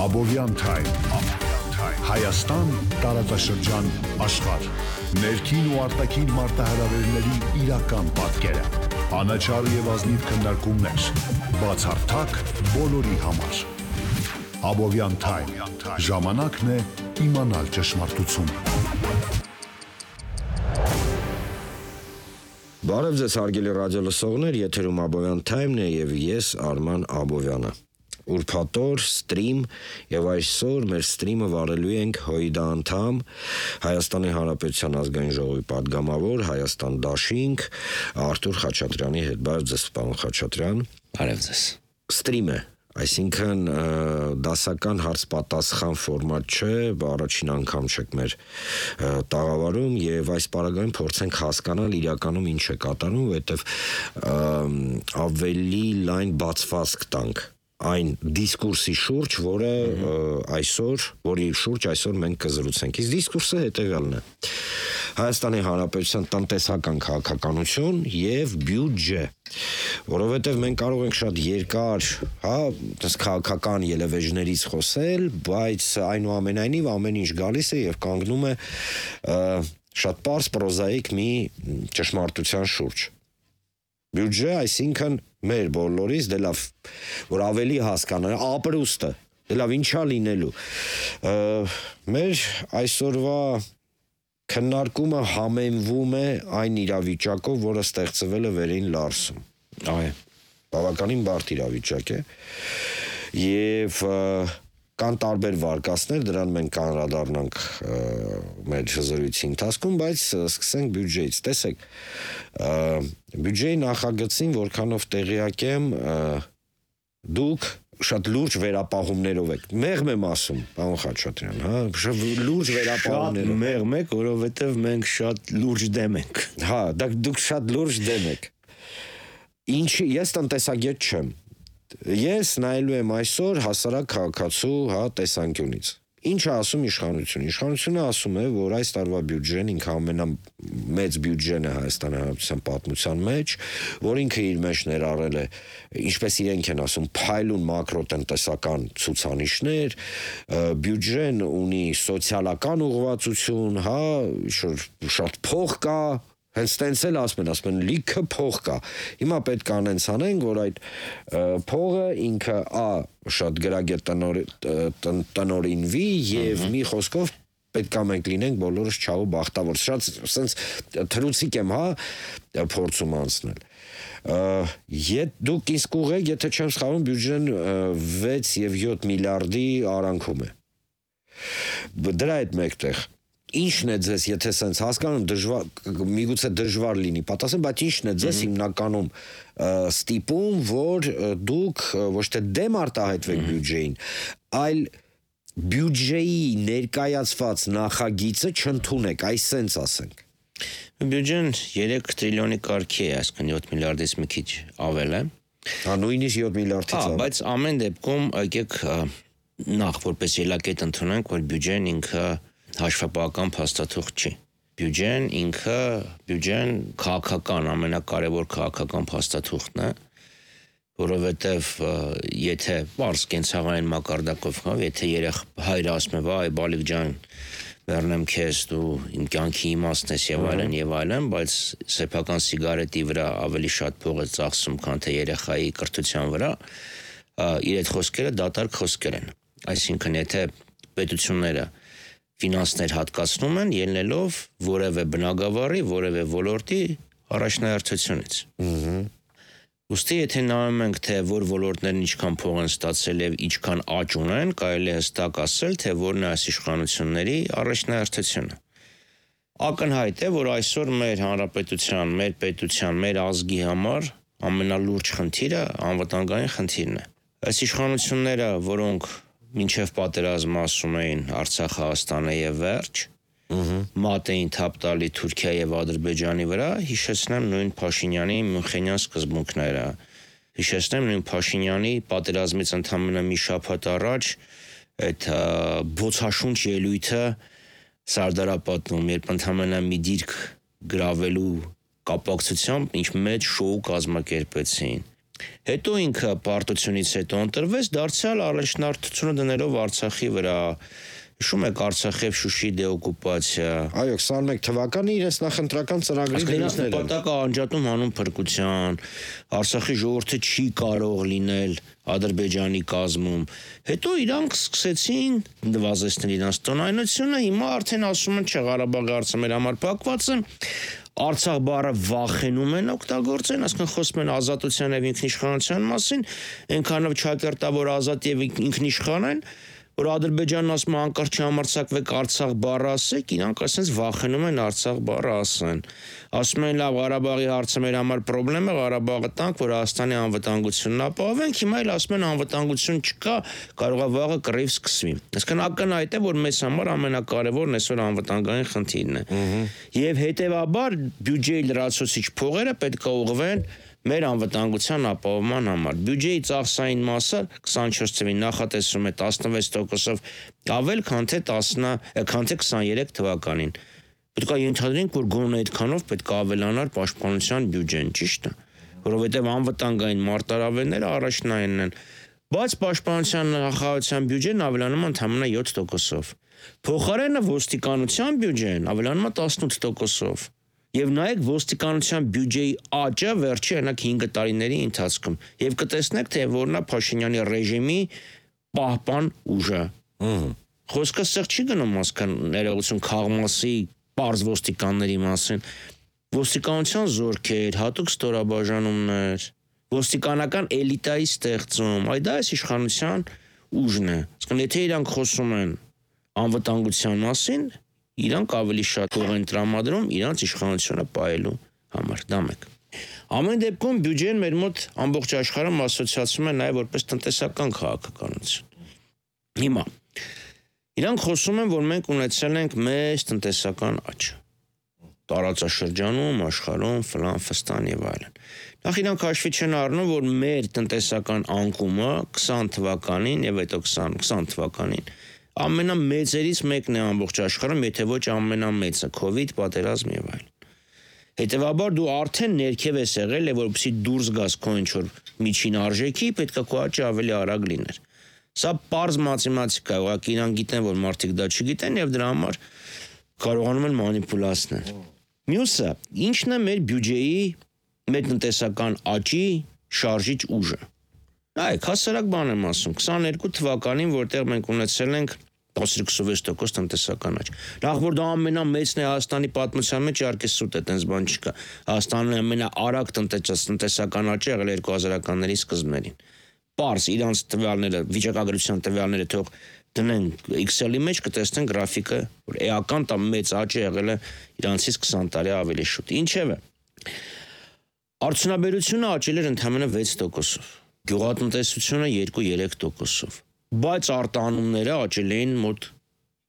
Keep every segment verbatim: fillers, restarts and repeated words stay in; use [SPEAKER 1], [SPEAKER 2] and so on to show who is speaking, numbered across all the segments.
[SPEAKER 1] Abovyan Time, Հայաստան, տարածաշրջան, աշխարհ, ներքին ու արտաքին մարտահրավերների իրական պատկերը, անաչառ եւ ազնիվ քննարկումներ, բացառթակ բոլորի համար։ Abovyan Time, ժամանակն է իմանալ ճշմարտությունը։
[SPEAKER 2] Բարև ձեզ հարգելի ռադիոլսողներ, եթերում Abovyan Time-ն է եւ ես Արման Աբովյանը։ Ուրբաթօր ստրիմ եւ այսօր մեր ստրիմը վարելու ենք ՀՅԴ անդամ Հայաստանի Հանրապետության ազգային ժողովի падգամավոր Հայաստան Դաշինք Արթուր Խաչատրյանի հետ։ Բարև ձեզ, պարոն Խաչատրյան։
[SPEAKER 3] Բարև ձեզ։
[SPEAKER 2] Ստրիմ է, այսինքն դասական հարց-պատասխան ֆորմատ չէ, առաջին անգամ չեք մեր տաղավարում եւ այս պարագայում փորձենք հասկանալ իրականում ինչ է կատարում, որովհետեւ ավելի լայն բացվածք տանք այն դիսկուրսի շուրջ, որը այսօր, որի շուրջ այսօր մենք կզրուցենք։ Իսկ դիսկուրսը հետևյալն է. Հայաստանի Հանրապետության տնտեսական քաղաքականություն եւ բյուջե, որովհետեւ մենք կարող ենք շատ երկար, հա, այս քաղաքական ելևէջներից խոսել, բայց այնուամենայնիվ ամեն ինչ գալիս է եւ կանգնում է շատ պարզ պրոզաիկ մի ճշմարտության շուրջ։ Բյուջե, այսինքն մեր բոլորից դե լավ, որ ավելի հասկանան, ապրուստը, դե լավ ինչա լինելու։ Մեր այսօրվա քննարկումը համեմվում է այն իրավիճակով, որը ստեղծվել է վերին Լարսում։ Այո, բավականին բարդ իրավիճակ է։ Եվ կան տարբեր վարկածներ, դրան մենք անդրադառնանք մեր զրույցի ընթացքում, բայց սկսենք բյուջեից։ Տեսեք, բյուջեի նախագծին, որքանով տեղյակ եմ, դուք շատ լուրջ վերապահումներով եք։ Մեղմ եմ ասում, պարոն Խաչատրյան, հա, շատ լուրջ վերապահումներով։
[SPEAKER 3] Շատ մեղմ եք, որովհետև մենք շատ լուրջ դեմ ենք։
[SPEAKER 2] Հա, դուք շատ լուրջ դեմ եք։ Ինչի, ես տնտեսագետ չեմ։ Ես նայելու եմ այսօր հասարակ քաղաքացու, հա, տեսանկյունից։ Ինչ է ասում իշխանությունը։ Իշխանությունը ասում է, որ այս տարվա բյուջեն ինքը ամենամեծ բյուջեն է Հայաստանի Հանրապետության պատմության մեջ, որ ինքը իր մեջ ներառել է, ինչպես իրենք են ասում, փայլուն մակրոտնտեսական ցուցանիշներ, բյուջեն ունի սոցիալական ուղղվածություն, հա, շատ փող կա, հենց տենց էլ ասում են, ասում են լիքը փող կա։ Հիմա պետք է անենց անենք, որ այդ փողը ինքը ա շատ գրագետ տնօրինվի եւ մի խոսքով պետք է մենք լինենք բոլորս չաղու բախտավոր։ Շատ սենց թրուցիկ եմ, հա, փորձում անցնել։ Ետ դուք իսկ ուղեք, եթե չեմ սխալվում, բյուջեն վեց եւ յոթ միլիարդի արանքում է։ Դրա հետ մեկտեղ Ինչն է ձեզ, եթե սենց հասկանում, դժվար, միգուցե դժվար լինի պատասխան, բայց ինչն է ձեզ հիմնականում ստիպում, որ դուք ոչ թե դեմ արտահայտվեք բյուջեին, այլ բյուջեի ներկայացված նախագիծը չընդունեք, այս սենց ասենք։
[SPEAKER 3] Բյուջեն երեք տրիլիոնի կարգի է, այսինքն յոթ միլիարդից մի քիչ ավել է։
[SPEAKER 2] Հա, նույնիսկ յոթ միլիարդից
[SPEAKER 3] ավել։ Հա, բայց ամեն դեպքում եկեք նախ որպես ելակետ ընդունենք, որ բյուջեն ինքը հաշվապահական փաստաթուղթ չի։ Բյուջեն ինքը, բյուջեն քաղաքական, ամենակարևոր քաղաքական փաստաթուղթն է, որովհետև եթե բարձ կենցաղային մակարդակով խավ, եթե երեխ հայրը ասում է, վայ, բալիկ ջան, վերնեմ քեզ, դու իմ կյանքի իմաստն ես եւ այլն եւ այլն, բայց սեփական սիգարետի վրա ավելի շատ փող է ծախսում, քան թե երեխայի կրթության վրա, իր այդ խոսքերը դատարկ խոսքեր են։ Այսինքն, եթե պետությունները ֆինանսներ հատկացնում են, ելնելով որևէ բնագավառի, որևէ ոլորտի առաջնահերթությունից։ Ուստի եթե նայում ենք, թե որ ոլորտներն ինչքան փող են ստացել եւ ինչքան աճ ունեն, կարելի է հստակ ասել, թե որն է այս իշխանությունների առաջնահերթությունը։ Ակնհայտ է, որ այսօր մեր հանրապետության, մեր պետության, մեր ազգի համար ամենալուրջ խնդիրը անվտանգային խնդիրն է։ Այս իշխանությունները, որոնք մինչև պատերազմ ասում էին Արցախ, Հայաստանը եւ վերջ, մատ էին թափ տալի Թուրքիա եւ Ադրբեջանի վրա, հիշեցնեմ նույն Փաշինյանի Մյունխենյան սկզբունքները, հիշեցնեմ նույն Փաշինյանի պատերազմից ընդամենը մի շաբաթ առաջ այդ բոցաշունչ ելույթը Սարդարապատում, երբ ընդամենը մի դիրք գրավելու կապակցությամբ ինչ մեծ շոու կազմակերպեցին։ Հետո ինքը պարտությունից հետո ընտրվեց, դարձյալ առաջնորդությունը դնելով Արցախի վրա։ Հիշում եք Արցախի եւ Շուշի դեօկուպացիա։
[SPEAKER 2] Այո, քսաներեք թվականին իրենց նախընտրական ծրագրի
[SPEAKER 3] դերասանը նպատակը անջատում հանուն փրկության, Արցախի ժողովուրդը չի կարող լինել Ադրբեջանի կազմում։ Հետո իրանք սկսեցին նվազեցնել իրենց տոնայնությունը, հիմա արդեն ասում են, չէ, Ղարաբաղի հարցը մեր համար փակված է։ Արցախ բառը վախենում են օգտագործեն, ասկան խոսում են ազատության եւ ինքնիշխանության մասին, այնքանով ճակերտավոր ազատ եւ ինքնիշխան են, որ Ադրբեջանն ասում է անկարծ չհամարձակվեք Արցախ բառը ասեք, իրանք ասենց վախենում են Արցախ բառը ասեն։ Ասում են լավ, Ղարաբաղի հարցը մեր համար խնդրեմ է, Ղարաբաղը տանք, որ Հայաստանի անվտանգությունն ապահովենք, հիմա էլ ասում են անվտանգություն չկա, կարող է վաղը կռիվ սկսվի։ Այսինքն ակնհայտ է, որ մեզ համար ամենակարևորն այսօր անվտանգային խնդիրն է։ Եվ հետեւաբար բյուջեի լրացուցիչ փողերը պետք է ուղղվեն մեր անվտանգության ապահովման համար։ Բյուջեի ծախսային մասը քսանչորս թվականին նախատեսվում է տասնվեց տոկոսով ավել, քան թե տասը, քան թե քսաներեք թվականին։ Պետք է ենթադրենք, որ գոնե այդքանով պետք է ավելանար պաշտպանության բյուջեն, ճիշտ է, որովհետև անվտանգային մարտահրավերները առաջնայինն են, բայց պաշտպանության նախարարության բյուջեն ավելանում է ընդամենը յոթ տոկոսով։ Փոխարենը ոստիկանության բյուջեն ավելանում է տասնութ տոկոսով։ Եվ նայեք ոստիկանության բյուջեի աճը վերջի այնակ հինգ տարիների ընթացքում եւ կտեսնեք թե որն է Փաշինյանի ռեժիմի պահպան ուժը։ Խոսքը սեղ չի գնում ասկան ներողություն քաղմասի պարզ ոստիկանների մասին։ Ոստիկանության զորքեր, հատուկ ստորաբաժանումներ, ոստիկանական էլիտայի ստեղծում, այ դա է իշխանության ուժն է։ Ասկան եթե իրանք խոսում են անվտանգության մասին, իրանք ավելի շատ փող են տրամադրում իրանց իշխանությունը պահելու համար, դա մեկ։ Ամեն դեպքում բյուջեն մեր մոտ ամբողջ աշխարհում ասոցիացվում է նաև որպես տնտեսական քաղաքականություն։ Հիմա իրանք խոսում են, որ մենք ունեցել ենք մեծ տնտեսական աճ տարածաշրջանում, աշխարհում, ֆլան, ֆստան եւ այլն։ Նախ իրանք հաշվի չեն առնում, որ մեր տնտեսական անկումը քսան թվականին եւ հետո քսան թվականին ամենամեծերից մեկն է ամբողջ աշխարհում, եթե ոչ ամենամեծը, COVID, պատերազմ եւ այլն։ Հետևաբար դու արդեն ներքև ես եղել, եւ որպեսզի դուրս գաս քո ինչ-որ միջին արժեքի, պետք է քո աճը ավելի արագ լիներ։ Սա պարզ մաթեմատիկա է, ուղղակի իրանք գիտեն, որ մարդիկ դա չգիտեն եւ դրա համար կարողանում են մանիպուլացնել։ Մյուսը, ինչն է մեր բյուջեի, մեր տնտեսական աճի շարժիչ ուժը։ Այ, հասարակ բան եմ ասում, քսաներկու թվականին, որտեղ մենք ունեցել ենք տասնհինգ տոկոս տնտեսական աճ։ Նախ որ դա ամենամեծն է Հայաստանի պատմության մեջ, իհարկե սուտ է, տենց բան չկա։ Հայաստանը ամենաարագ տնտեսական աճը եղել երկու հազարականների սկզբներին։ Պարզ իրանց տվյալները, վիճակագրության տվյալները թող դնեն Excel-ի մեջ կտեսնեն գրաֆիկը, որ էական տա մեծ աճը եղել է իրանցից քսան տարի ավելի շուտ։ Ինչևէ, արդյունաբերությունը աճել էր ընդամենը վեց տոկոսով, գյուղատնտեսությունը երկու-երեք տոկոսով, բայց արտահանումները աճել էին մոտ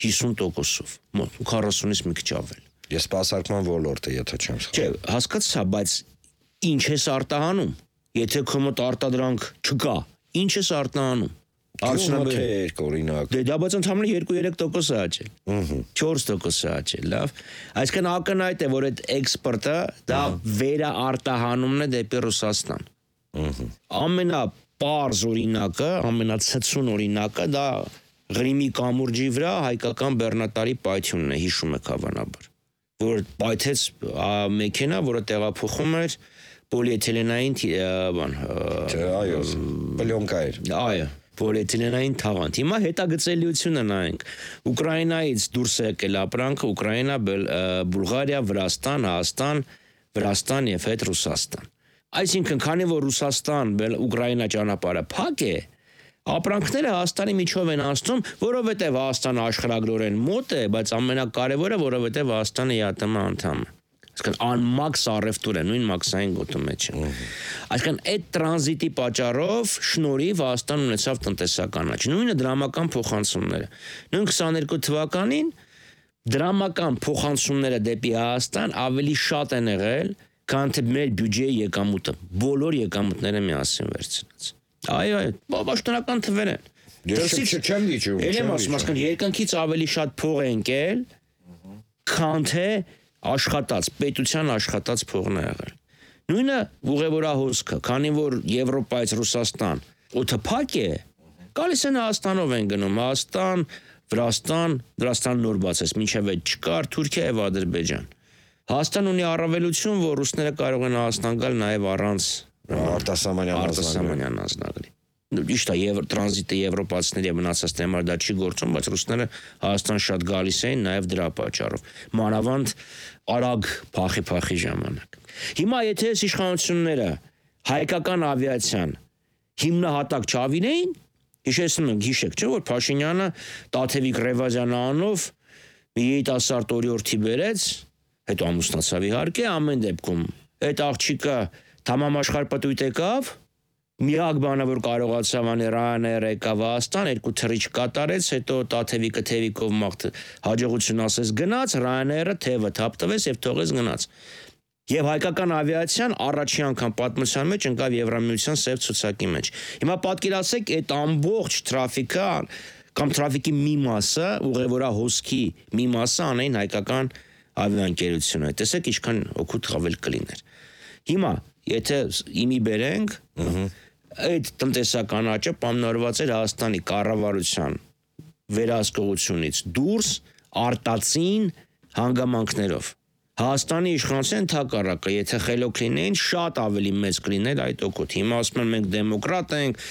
[SPEAKER 3] հիսուն տոկոսով, մոտ քառասունից մի քիչ ավել։
[SPEAKER 2] Ես սպասարկման ոլորտը, եթե չեմ սխալվում։
[SPEAKER 3] Չէ, հասկացա, բայց ինչ ես արտահանում, եթե քո մոտ արտադրանք չկա, ինչ ես արտահանում։
[SPEAKER 2] Արդյունաբերությունը օրինակ։
[SPEAKER 3] Դե դա բայց ընդհանրապես երկու-երեք տոկոս է աճել։ չորս տոկոս է աճել, լավ։ Այսինքն ակնհայտ է, որ այդ էքսպորտը դա վերաարտահանումն է դեպի Ռուսաստան։ Ամենապարզ օրինակը, ամենացցուն օրինակը դա Ղրիմի կամուրջի վրա հայկական բեռնատարի պայթյունն է, հիշում եք հավանաբար, որ պայթեց մեքենա, որը տեղափոխում էր պոլիէթիլենային բան,
[SPEAKER 2] այո, պլյոնկա էր։
[SPEAKER 3] Այո, պոլիէթիլենային թաղանթ։ Հիմա հետագծելիությունը նայենք։ Ուկրաինայից դուրս է եկել ապրանքը, Ուկրաինա, Բուլղարիա, Վրաստան, Հայաստան, Վրաստան եւ հետ Ռուսաստան։ Այսինքն, քանի որ Ռուսաստան, Ուկրաինա ճանապարհը փակ է, ապրանքները Հայաստանի միջով են անցնում, որովհետեւ Հայաստանը աշխարհագրորեն մոտ է, բայց ամենակարևորը, որովհետեւ Հայաստանը ԵԱՏՄ անդամ է։ Այսինքն անմաքս առևտուր է, նույն մաքսային գոտու մեջ է։ Այսինքն այդ տրանզիտի պատճառով շնորհիվ Հայաստան ունեցավ տնտեսական աճ։ Նույնը դրամական փոխանցումները։ Նույն քսաներկու թվականին դրամական փոխանցումները դեպի Հայաստան ավելի շատ են եղել, քան թե մեր բյուջեի եկամուտը, բոլոր եկամուտները միասին վերցնած։ Այո, այո, պաշտոնական թվեր են։
[SPEAKER 2] Ես չեմ դիճում։
[SPEAKER 3] Եմ ասում, ասում երկնքից ավելի շատ փող է ընկել, քան թե աշխատած, պետության աշխատած փողն է եղել։ Նույնը ուղևորահոսքը, քանի որ Եվրոպայից Ռուսաստան օդը փակ է, գալիս են Հայաստանով են գնում, Հայաստան, Վրաստան, Վրաստան նոր բացես, մինչև այդ չկար Թուրքիա եւ Ադրբեջան։ Հայաստան ունի առավելություն, որ ռուսները կարող են Հայաստան գալ նաեւ առանց
[SPEAKER 2] արտասահմանյան
[SPEAKER 3] անձնագրի։ Ճիշտ է, եւ տրանզիտը եվրոպացիների եւ մնացածների համար դա չի գործում, բայց ռուսները Հայաստան շատ գալիս էին նաեւ դրա պատճառով։ Մանավանդ արագ փախի-փախի ժամանակ։ Հիմա եթե այս իշխանությունները հայկական ավիացիան հիմնահատակ չավիրեին, հիշեցնում եմ, հիշեք, չէ՞ որ Փաշինյանը Տաթևիկ Ռևազյանը անով մի երիտասարդ օրիորդի բերեց, հետո ամուսնացավ իհարկե, ամեն դեպքում այդ աղջիկը Թամամաշխարհպտույտ եկավ, միակ բանը որ կարողացավ անել Ryanair եկավ Հայաստան, երկու թռիչ կատարեց, հետո Տաթևիկը թևիկով մաղթ հաջողություն ասես գնաց, Ryanair-ը թևը թափ տվեց եւ թողեց գնաց։ Եվ հայկական ավիացիան առաջի անգամ պատմության մեջ ընկավ Եվրամիության սև ցուցակի մեջ։ Հիմա պատկերացեք այդ ամբողջ տրաֆիկը կամ տրաֆիկի մի մասը, ուղևորահոսքի մի մասը անեն հայկական ավիաընկերությունը։ Տեսեք ինչքան օգուտ խավել կլիներ։ Հիմա եթե իմի բերենք, այդ տնտեսական աճը պայմանավորված էր Հայաստանի կառավարության վերահսկողությունից դուրս արտածին հանգամանքներով։ Հայաստանի իշխանության ընդհակառակը, եթե խելոք լինեին, շատ ավելի մեծ կլիներ այդ օգուտ։ Հիմա ասում են մենք դեմոկրատ ենք,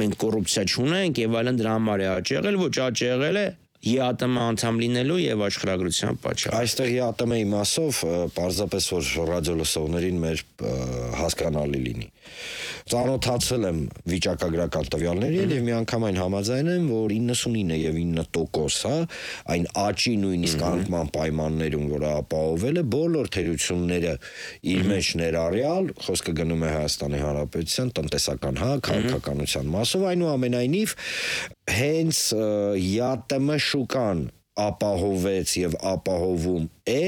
[SPEAKER 3] մենք կոռուպցիա չունենք եւ այլն, դրա համար է աճ եղել, ոչ աճ եղել է ԵԱՏՄ անդամ լինելու եւ աշխարհագրության պատճառով։
[SPEAKER 2] Այստեղ ԵԱՏՄ-ի մասով պարզապես որ ռադիոլսողներին մեր հասկանալի լինի։ Ծանոթացել եմ վիճակագրական տվյալներին եւ միանգամայն համաձայն եմ, որ իննսունինը եւ ինը տոկոս, հա, այն աճի նույնիսկ անկման պայմաններում, որ ապահովել է բոլոր թերությունները իր մեջ ներառյալ, խոսքը գնում է Հայաստանի Հանրապետության տնտեսական, հա, քաղաքականության մասով, այնուամենայնիվ հենց ԵԱՏՄ շուկան ապահովեց եւ ապահովում է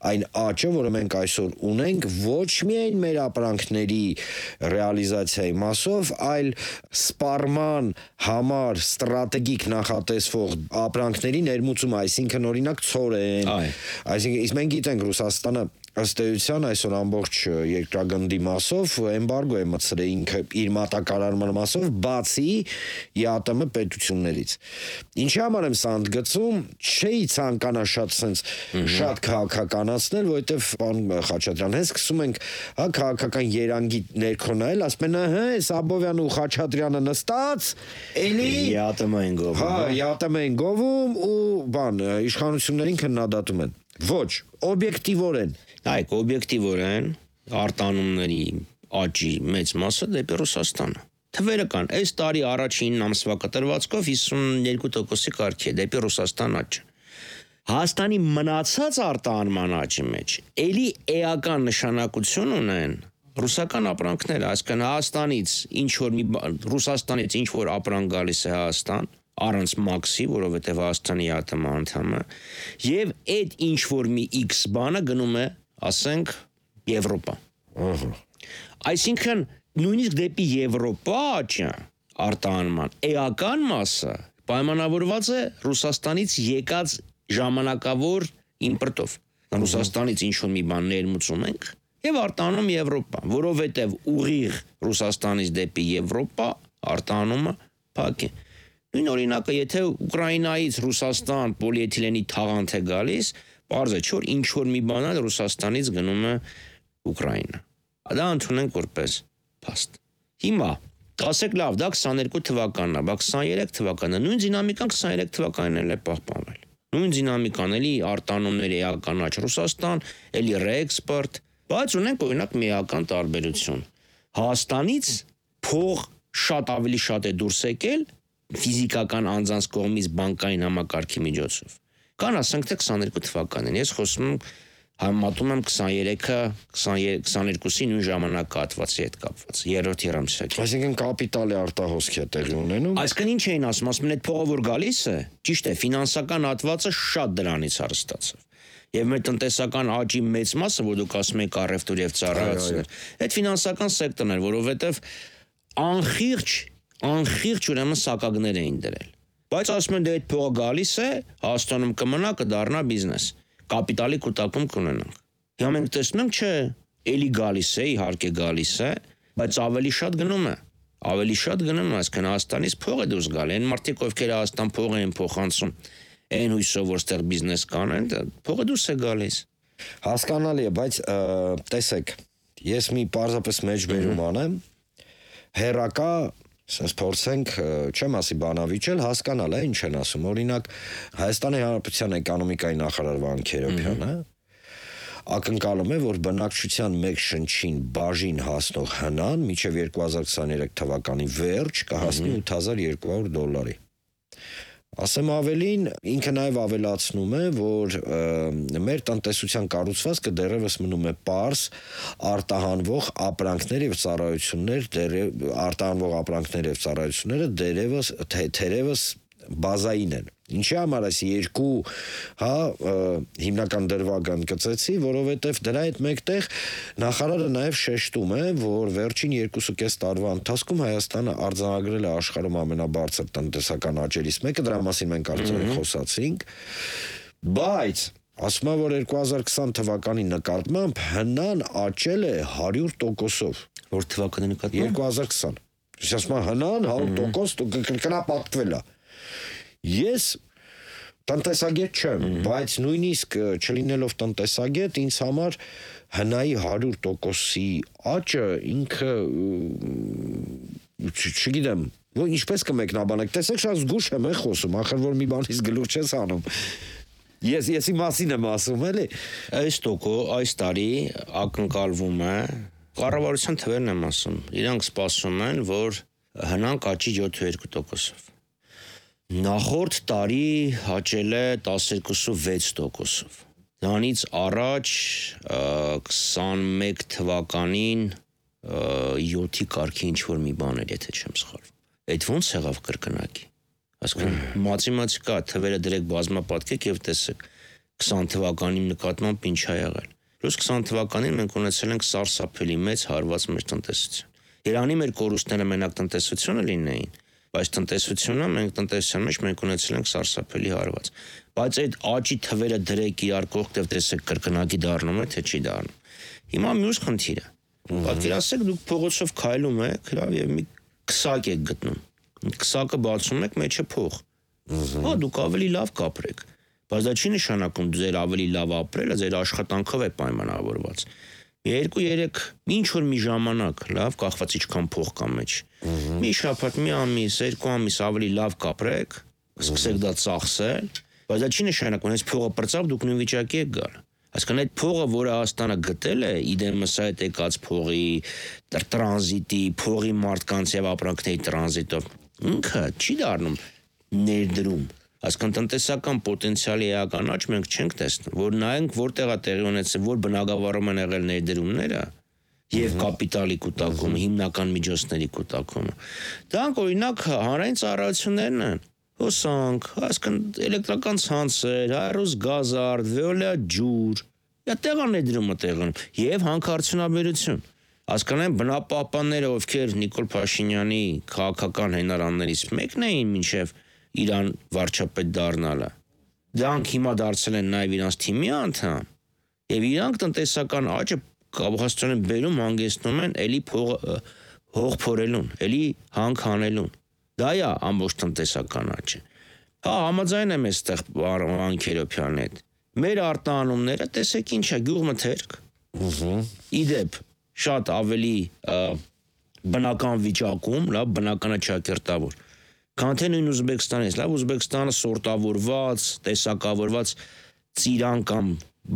[SPEAKER 2] այն աճը, որը մենք այսօր ունենք, ոչ միայն մեր ապրանքների ռեալիզացիայի մասով, այլ սպառման համար ստրատեգիկ նախատեսվող ապրանքների ներմուծումը, այսինքն օրինակ ցորեն, այսինքն իսկ մենք գիտենք Ռուսաստանը ըստ էության այսօր ամբողջ երկրագնդի մասով էմբարգո է մտցրել ինքը իր մատակարարման մասով բացի ԵԱՏՄ պետություններից։ Ինչի համար եմ սա ընդգծում, չէի ցանկանա շատ sense շատ քաղաքականացնել, որովհետև պարոն Խաչատրյան, հենց սկսում ենք հա քաղաքական երանգի ներքո նայել, ասում են, հա, այս Աբովյանը ու Խաչատրյանը նստած, էլի
[SPEAKER 3] ԵԱՏՄ են գովում։
[SPEAKER 2] Հա, ԵԱՏՄ են գովում ու բան իշխանություններին քննադատում են։ Ոչ, օբյեկտիվորեն
[SPEAKER 3] Այք օբյեկտիվորեն արտանումների աճի մեծ մասը դեպի Ռուսաստանը։ Թվերը կան, այս տարի առաջին ամսվա կտրվածքով հիսունյոթ տոկոսի կարգի է դեպի Ռուսաստան աճը։ Հայաստանի մնացած արտահանման աճի մեջ էլի էական նշանակություն ունեն ռուսական ապրանքները, այսինքն Հայաստանից ինչ որ մի Ռուսաստանից ինչ որ ապրանք գալիս է Հայաստան առանց մաքսի, որովհետև Հայաստանի ԵԱՏՄ անդամ է, եւ այդ ինչ որ մի X բանը գնում է, ասենք, Եվրոպա։
[SPEAKER 2] Ահա։
[SPEAKER 3] Այսինքն նույնիսկ դեպի Եվրոպա աճը արտահանման էական մասը պայմանավորված է Ռուսաստանից եկած ժամանակավոր իմպորտով։ Ռուսաստանից ինչ որ մի բան ներմուծում ենք եւ արտահանում Եվրոպա, որովհետեւ ուղիղ Ռուսաստանից դեպի Եվրոպա արտահանումը փակ է։ Նույն օրինակը, եթե Ուկրաինայից Ռուսաստան պոլիէթիլենի թաղանթ է գալիս, պարզ է, որ ինչ որ մի բան է Ռուսաստանից գնում է Ուկրաինա։ Դա ընդունենք որպես փաստ։ Հիմա ասեք լավ, դա քսաներկու թվականն է, բայց քսաներեք թվականը, նույն դինամիկան քսաներեք թվականին էլ է պահպանվել։ Նույն դինամիկան էլի արտանումների էական աճ Ռուսաստան, էլի ռեէքսպորտ, բայց ունենք օրինակ միական տարբերություն։ Հայաստանից փող շատ ավելի շատ է դուրս եկել ֆիզիկական անձանց կողմից բանկային համակարգի միջոցով։ Կան ասենք թե քսաներկու թվականին, ես խոսում եմ համատում եմ քսաներեքը քսաներկուսի նույն ժամանակահատվածի հետ կապված, երրորդ եռամսյակի։
[SPEAKER 2] Այսինքն կապիտալի արտահոսք է տեղի ունենում։
[SPEAKER 3] Այսինքն ինչ էին ասում, ասում են այդ փողը որ գալիս է, ճիշտ է, ֆինանսական հատվածը շատ դրանից հարստացավ։ Եվ մեր տնտեսական աճի մեծ մասը, որ դուք ասում եք առևտուր եւ ծառայություն, այդ ֆինանսական սեկտորն էր, որովհետեւ անխիղճ, անխիղճ ուրեմն սակագներ էին դրել։ Բայց ասում են դե այդ փողը գալիս է, Հայաստանում կմնա, կդառնա բիզնես, կապիտալի կուտակում կունենանք։ Հիմա մենք տեսնում ենք, չէ, էլի գալիս է, իհարկե գալիս է, բայց ավելի շատ գնում է։ Ավելի շատ գնում է, այսինքն Հայաստանից փող է դուրս գալի։ Այն մարդիկ, ովքեր Հայաստան փող են փոխանցում, այն հույսով որ ստեղ բիզնես կանեն, փողը դուրս է գալիս։
[SPEAKER 2] Հասկանալի է, բայց տեսեք, ես մի պարզապես մեջբերում անեմ, հերակա, ասես փորձենք, չեմ ասի բանավիճել, հասկանալ է, ինչ են ասում։ Օրինակ, Հայաստանի Հանրապետության էկոնոմիկայի նախարար Վահան Քերոբյանը ակնկալում է, որ բնակչության մեկ շնչին բաժին հասնող հնան մինչև երկու հազար քսաներեք թվականի վերջ կհասնի ութ հազար երկու հարյուր դոլարի։ Ասեմ ավելին, ինքը նաև ավելացնում է, որ մեր տնտեսության կառուցվածքը դեռևս մնում է պարզ արտահանվող ապրանքներ եւ ծառայություններ, արտահանվող ապրանքներ եւ ծառայությունները դեռևս թերևս բազային են։ Ինչի համար այս երկու, հա, հիմնական դրվագն կծեցի, որովհետև դրա հետ մեկտեղ նախարարը նաև շեշտում է, որ վերջին երկուսուկես տարվա ընթացքում Հայաստանը արձանագրել է աշխարհում ամենաբարձր տնտեսական աճերից մեկը, դրա մասին մենք արդեն խոսացինք, բայց ասում է, որ երկու հազար քսան թվականի նկատմամբ հնան աճել է հարյուր տոկոսով։
[SPEAKER 3] Որ թվականի նկատմամբ
[SPEAKER 2] երկու հազար քսան։ Ասում է հնան հարյուր տոկոս կրկնապատկվել է։ Ես տնտեսագետ չեմ, բայց նույնիսկ չլինելով տնտեսագետ, ինձ համար հնայի հարյուր տոկոսի աճը ինքը չգիտեմ, որ ինչպես կմեկնաբանեք, տեսեք շատ զգուշ եմ խոսում, ախր որ մի բանից գլուխ չես անում։ Ես եսի մասին եմ ասում, էլի։
[SPEAKER 3] Այս տոկո այս տարի ակնկալվում է, կառավարության թվերն եմ ասում, իրանք սպասում են, որ հնանք աճի յոթ տոկոսով։ Նախորդ տարի աճել է տասներկու վեց տոկոսով։ Դրանից առաջ քսանմեկ թվականին յոթի կարգի ինչ-որ մի բան էր, եթե չեմ սխալվում։ Այդ ո՞նց եղավ կրկնակի։ Այսինքն մաթեմատիկա թվերը դրեք բազմապատկեք եւ տեսեք քսան թվականի նկատմամբ ինչ ա եղել։ Պլյուս քսան թվականին մենք ունեցել ենք սարսափելի մեծ հարված մեր տնտեսություն։ Իրանի մեր կորուստները մենակ տնտեսությունը լինեին, բայց տնտեսությունը մենք տնտեսության մեջ մենք ունեցել ենք սարսափելի հարված։ Բայց այդ աճի թվերը դրեք իրար կողքով տեսեք կրկնակի դառնում է, թե չի դառնում։ Հիմա մյուս խնդիրը։ Պատկերացրեք դուք փողոցով քայլում եք, եւ մի քսակ եք գտնում։ Քսակը բացում եք, մեջը փող։ Հա դուք ավելի լավ կապրեք։ Բայց դա չի նշանակում ձեր ավելի լավ ապրելը ձեր աշխատանքով է պայմանավորված։ Երկու-երեք ինչ որ մի ժամանակ լավ կախված ինչքան փող կա մեջ։ Մի շաբաթ, մի ամիս, երկու ամիս ավելի լավ կապրեք, սկսեք դա ծախսել, բայց դա չի նշանակում, այս փողը պրծավ դուք նույն վիճակի եք գալ։ Այսինքն այդ փողը, որը Հայաստանը գտել է, իդեմս այդ եկած փողի, տրանզիտի, փողի մարդկանց եւ ապրանքների տրանզիտով, ինքը չի դառնում ներդրում։ Այսինքն տնտեսական պոտենցիալի էական աճ մենք չենք տեսնում, որ նայենք որտեղ է տեղի ունեցել, որ բնակավարում են եղել ներդրումները եւ կապիտալի կուտակումը, հիմնական միջոցների կուտակումը։ Դրանք օրինակ հանրային ծառայություններն են։ Հոսանք, այսինքն էլեկտրական ցանցեր, հայրոս գազարդ, վեոլիա ջուր, դա տեղան ներդրումը տեղն եւ հանքարդյունաբերություն։ Հասկանան բնապահպանները, ովքեր Նիկոլ Փաշինյանի քաղաքական հենարաններից մեկն էին մինչեւ Իրան վարչապետ դառնալը։ Դրանք հիմա դարձել են նաև իրանց թիմի անդամ, եւ իրանք տնտեսական աճը կապահովեն բերում հանգեցնում են էլի փող հող փորելուն, էլի հանք հանելուն։ Դա է ամբողջ տնտեսական աճը։ Հա, համաձայն եմ այստեղ Վահան Քերոբյանի հետ։ Մեր արտահանումները տեսեք ինչ է, գյուղմթերք։ Իդեպ շատ ավելի բնական վիճակում, լավ բնականը ճակերտավոր։ Քան թե նույն Ուզբեկստանից, լավ Ուզբեկստանը սորտավորված, տեսակավորված ծիրան կամ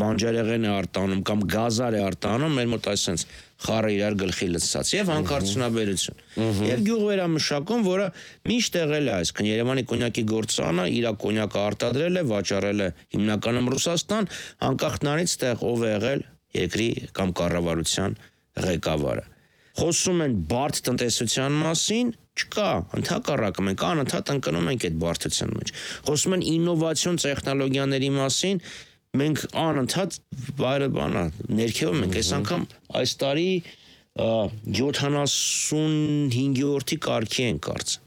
[SPEAKER 3] բանջարեղեն է արտանում կամ գազար է արտանում, մեր մոտ այսպես խառը իրար գլխի լցած եւ հանքարդյունաբերություն։ Եվ գյուղվերամշակում, որը միշտ եղել է, այսինքն Երևանի կոնյակի գործարանը իր կոնյակը արտադրել է, վաճառել է հիմնականում Ռուսաստան, անկախ նրանից տեղ ով է եղել երկրի կամ կառավարության ղեկավարը։ Խոսում են բարդ տնտեսության մասին, չկա, ընդհակառակը մենք անընդհատ ընկնում ենք այդ բարդության մեջ։ Խոսում են ինովացիոն տեխնոլոգիաների մասին, մենք անընդհատ վայրը բանա ներքևում ենք, այս անգամ այս տարի յոթանասունհինգերորդի կարգի են կարծեմ։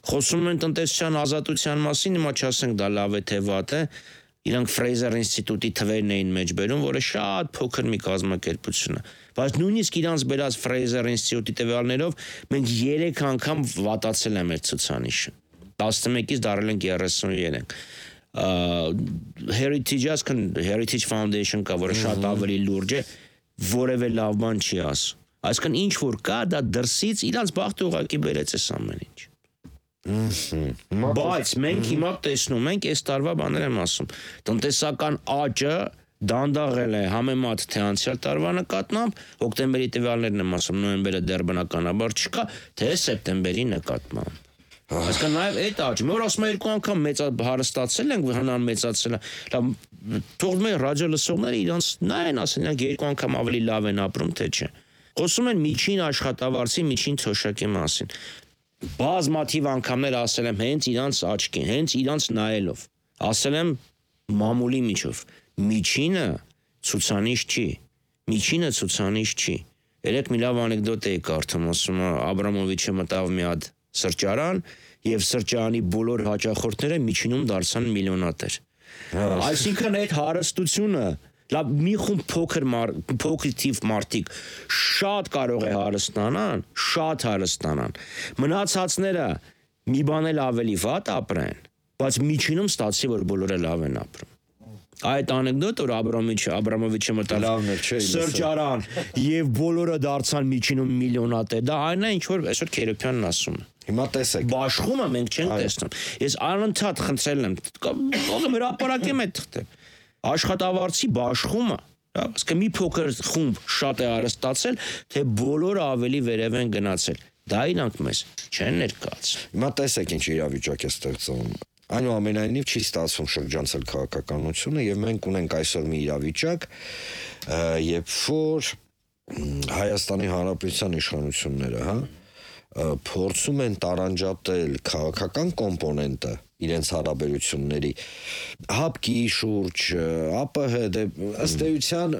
[SPEAKER 3] Խոսում են տնտեսության ազատության մասին, հիմա չասենք դա լավ է թե վատ է, Իրանք Fraser ինստիտուտի թվերն էին մեջ բերում, որը շատ փոքր մի կազմակերպություն է։ Բայց նույնիսկ իրանց բերած Fraser ինստիտուտի տվյալներով մենք երեք անգամ վատացել է մեր ցուցանիշը։ տասնմեկից դարել ենք երեսուններեք։ Heritage ասկան Heritage Foundation կա, որը շատ ավելի լուրջ է, որևէ լավ բան չի ասում։ Այսինքն ինչ որ կա, դա դրսից իրանց բախտը ուղակի բերեց այս ամեն ինչ։ Բայց մենք հիմա տեսնում ենք այս տարվա բաներ եմ ասում։ Տնտեսական աճը դանդաղել է համեմատ թե անցյալ տարվա նկատմամբ, հոկտեմբերի տվյալներն եմ ասում, նոյեմբերը դեռ բնականաբար չկա, թե սեպտեմբերի նկատմամբ։ Այսինքն նաև այդ աճ, մեր ասում երկու անգամ մեծ հարստացել ենք, հնան մեծացել է։ Լավ, թող մեր ռադիո լսողները իրանց նայեն, ասեն, իրանք երկու անգամ ավելի լավ են ապրում, թե չէ։ Խոսում են միջին աշխատավարձի, միջին թոշակի մասին։ Բազմաթիվ անգամներ ասել եմ հենց իրանց աչքին, հենց իրանց նայելով։ Ասել եմ մամուլի միջով։ Միջինը ցուցանիշ չի։ Միջինը ցուցանիշ չի։ Երեք մի լավ անեկդոտ էի կարդում, ասում է Աբրամովիչը մտավ մի հատ սրճարան եւ սրճարանի բոլոր հաճախորդները միջինում դարձան միլիոնատեր։ Այսինքն այդ հարստությունը, լավ մի խումբ փոքր փոքր թիվ մարդիկ շատ կարող է հարստանան, շատ հարստանան։ Մնացածները մի բան էլ ավելի վատ ապրեն, բայց միջինում ստացի որ բոլորը լավ են ապրում։ Այդ անեկդոտ որ Աբրամովիչը Աբրամովիչը մտավ սրճարան եւ բոլորը դարձան միջինում միլիոնատեր, դա այն է ինչ որ այսօր Քերոփյանն ասում է։
[SPEAKER 2] Հիմա տեսեք։
[SPEAKER 3] Բաշխումը մենք չենք տեսնում։ Ես անընդհատ խնդրել եմ, ողը հրապարակեմ այդ թղթը։ Աշխատավարձի բաշխումը, ասկա մի փոքր խումբ շատ է արստացել, թե բոլորը ավելի վերև են գնացել։ Դա իրանք մեզ չեն ներկայացնում։
[SPEAKER 2] Հիմա տեսեք ինչ իրավիճակ է ստեղծվում։ Այնուամենայնիվ չի ստացվում շրջանցել քաղաքականությունը եւ մենք ունենք այսօր մի իրավիճակ, երբ որ Հայաստանի Հանրապետության իշխանությունները, հա, փորձում են տարանջատել քաղաքական կոմպոնենտը իրենց հարաբերությունների հապկի շուրջ, ԱՊՀ դե ըստ էության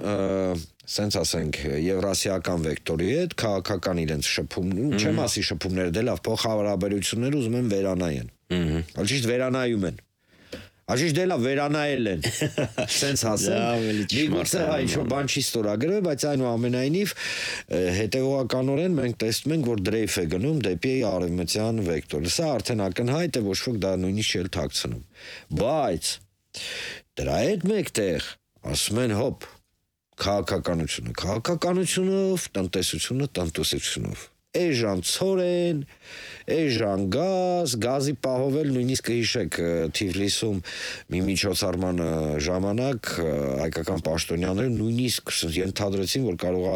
[SPEAKER 2] սենց ասենք եվրասիական վեկտորի հետ քաղաքական իրենց շփում, չեմ ասի շփումները դե լավ փոխհարաբերություններ ուզում են վերանայեն։ Ալճիշտ վերանայում են։ Ալճիշտ դե լավ վերանայել են։ Սենց ասեմ։ Միգուցե հայ ինչ-որ բան չի ստորագրել, բայց այնուամենայնիվ հետևողականորեն մենք տեսնում ենք, որ դրեյֆ է գնում դեպի արևմտյան վեկտորը։ Սա արդեն ակնհայտ է, ոչ ոք դա նույնիսկ չէ թաքցնում։ Բայց դրա հետ մեկտեղ ասում են հոպ քաղաքականությունը, քաղաքականությունով, տնտեսությունը, տնտեսությունով։ Էժան ցորեն, էժան գազ, գազի պահովել նույնիսկ կհիշեք Թիֆլիսում մի միջոցառման ժամանակ հայկական պաշտոնյաները նույնիսկ ենթադրեցին, որ կարող է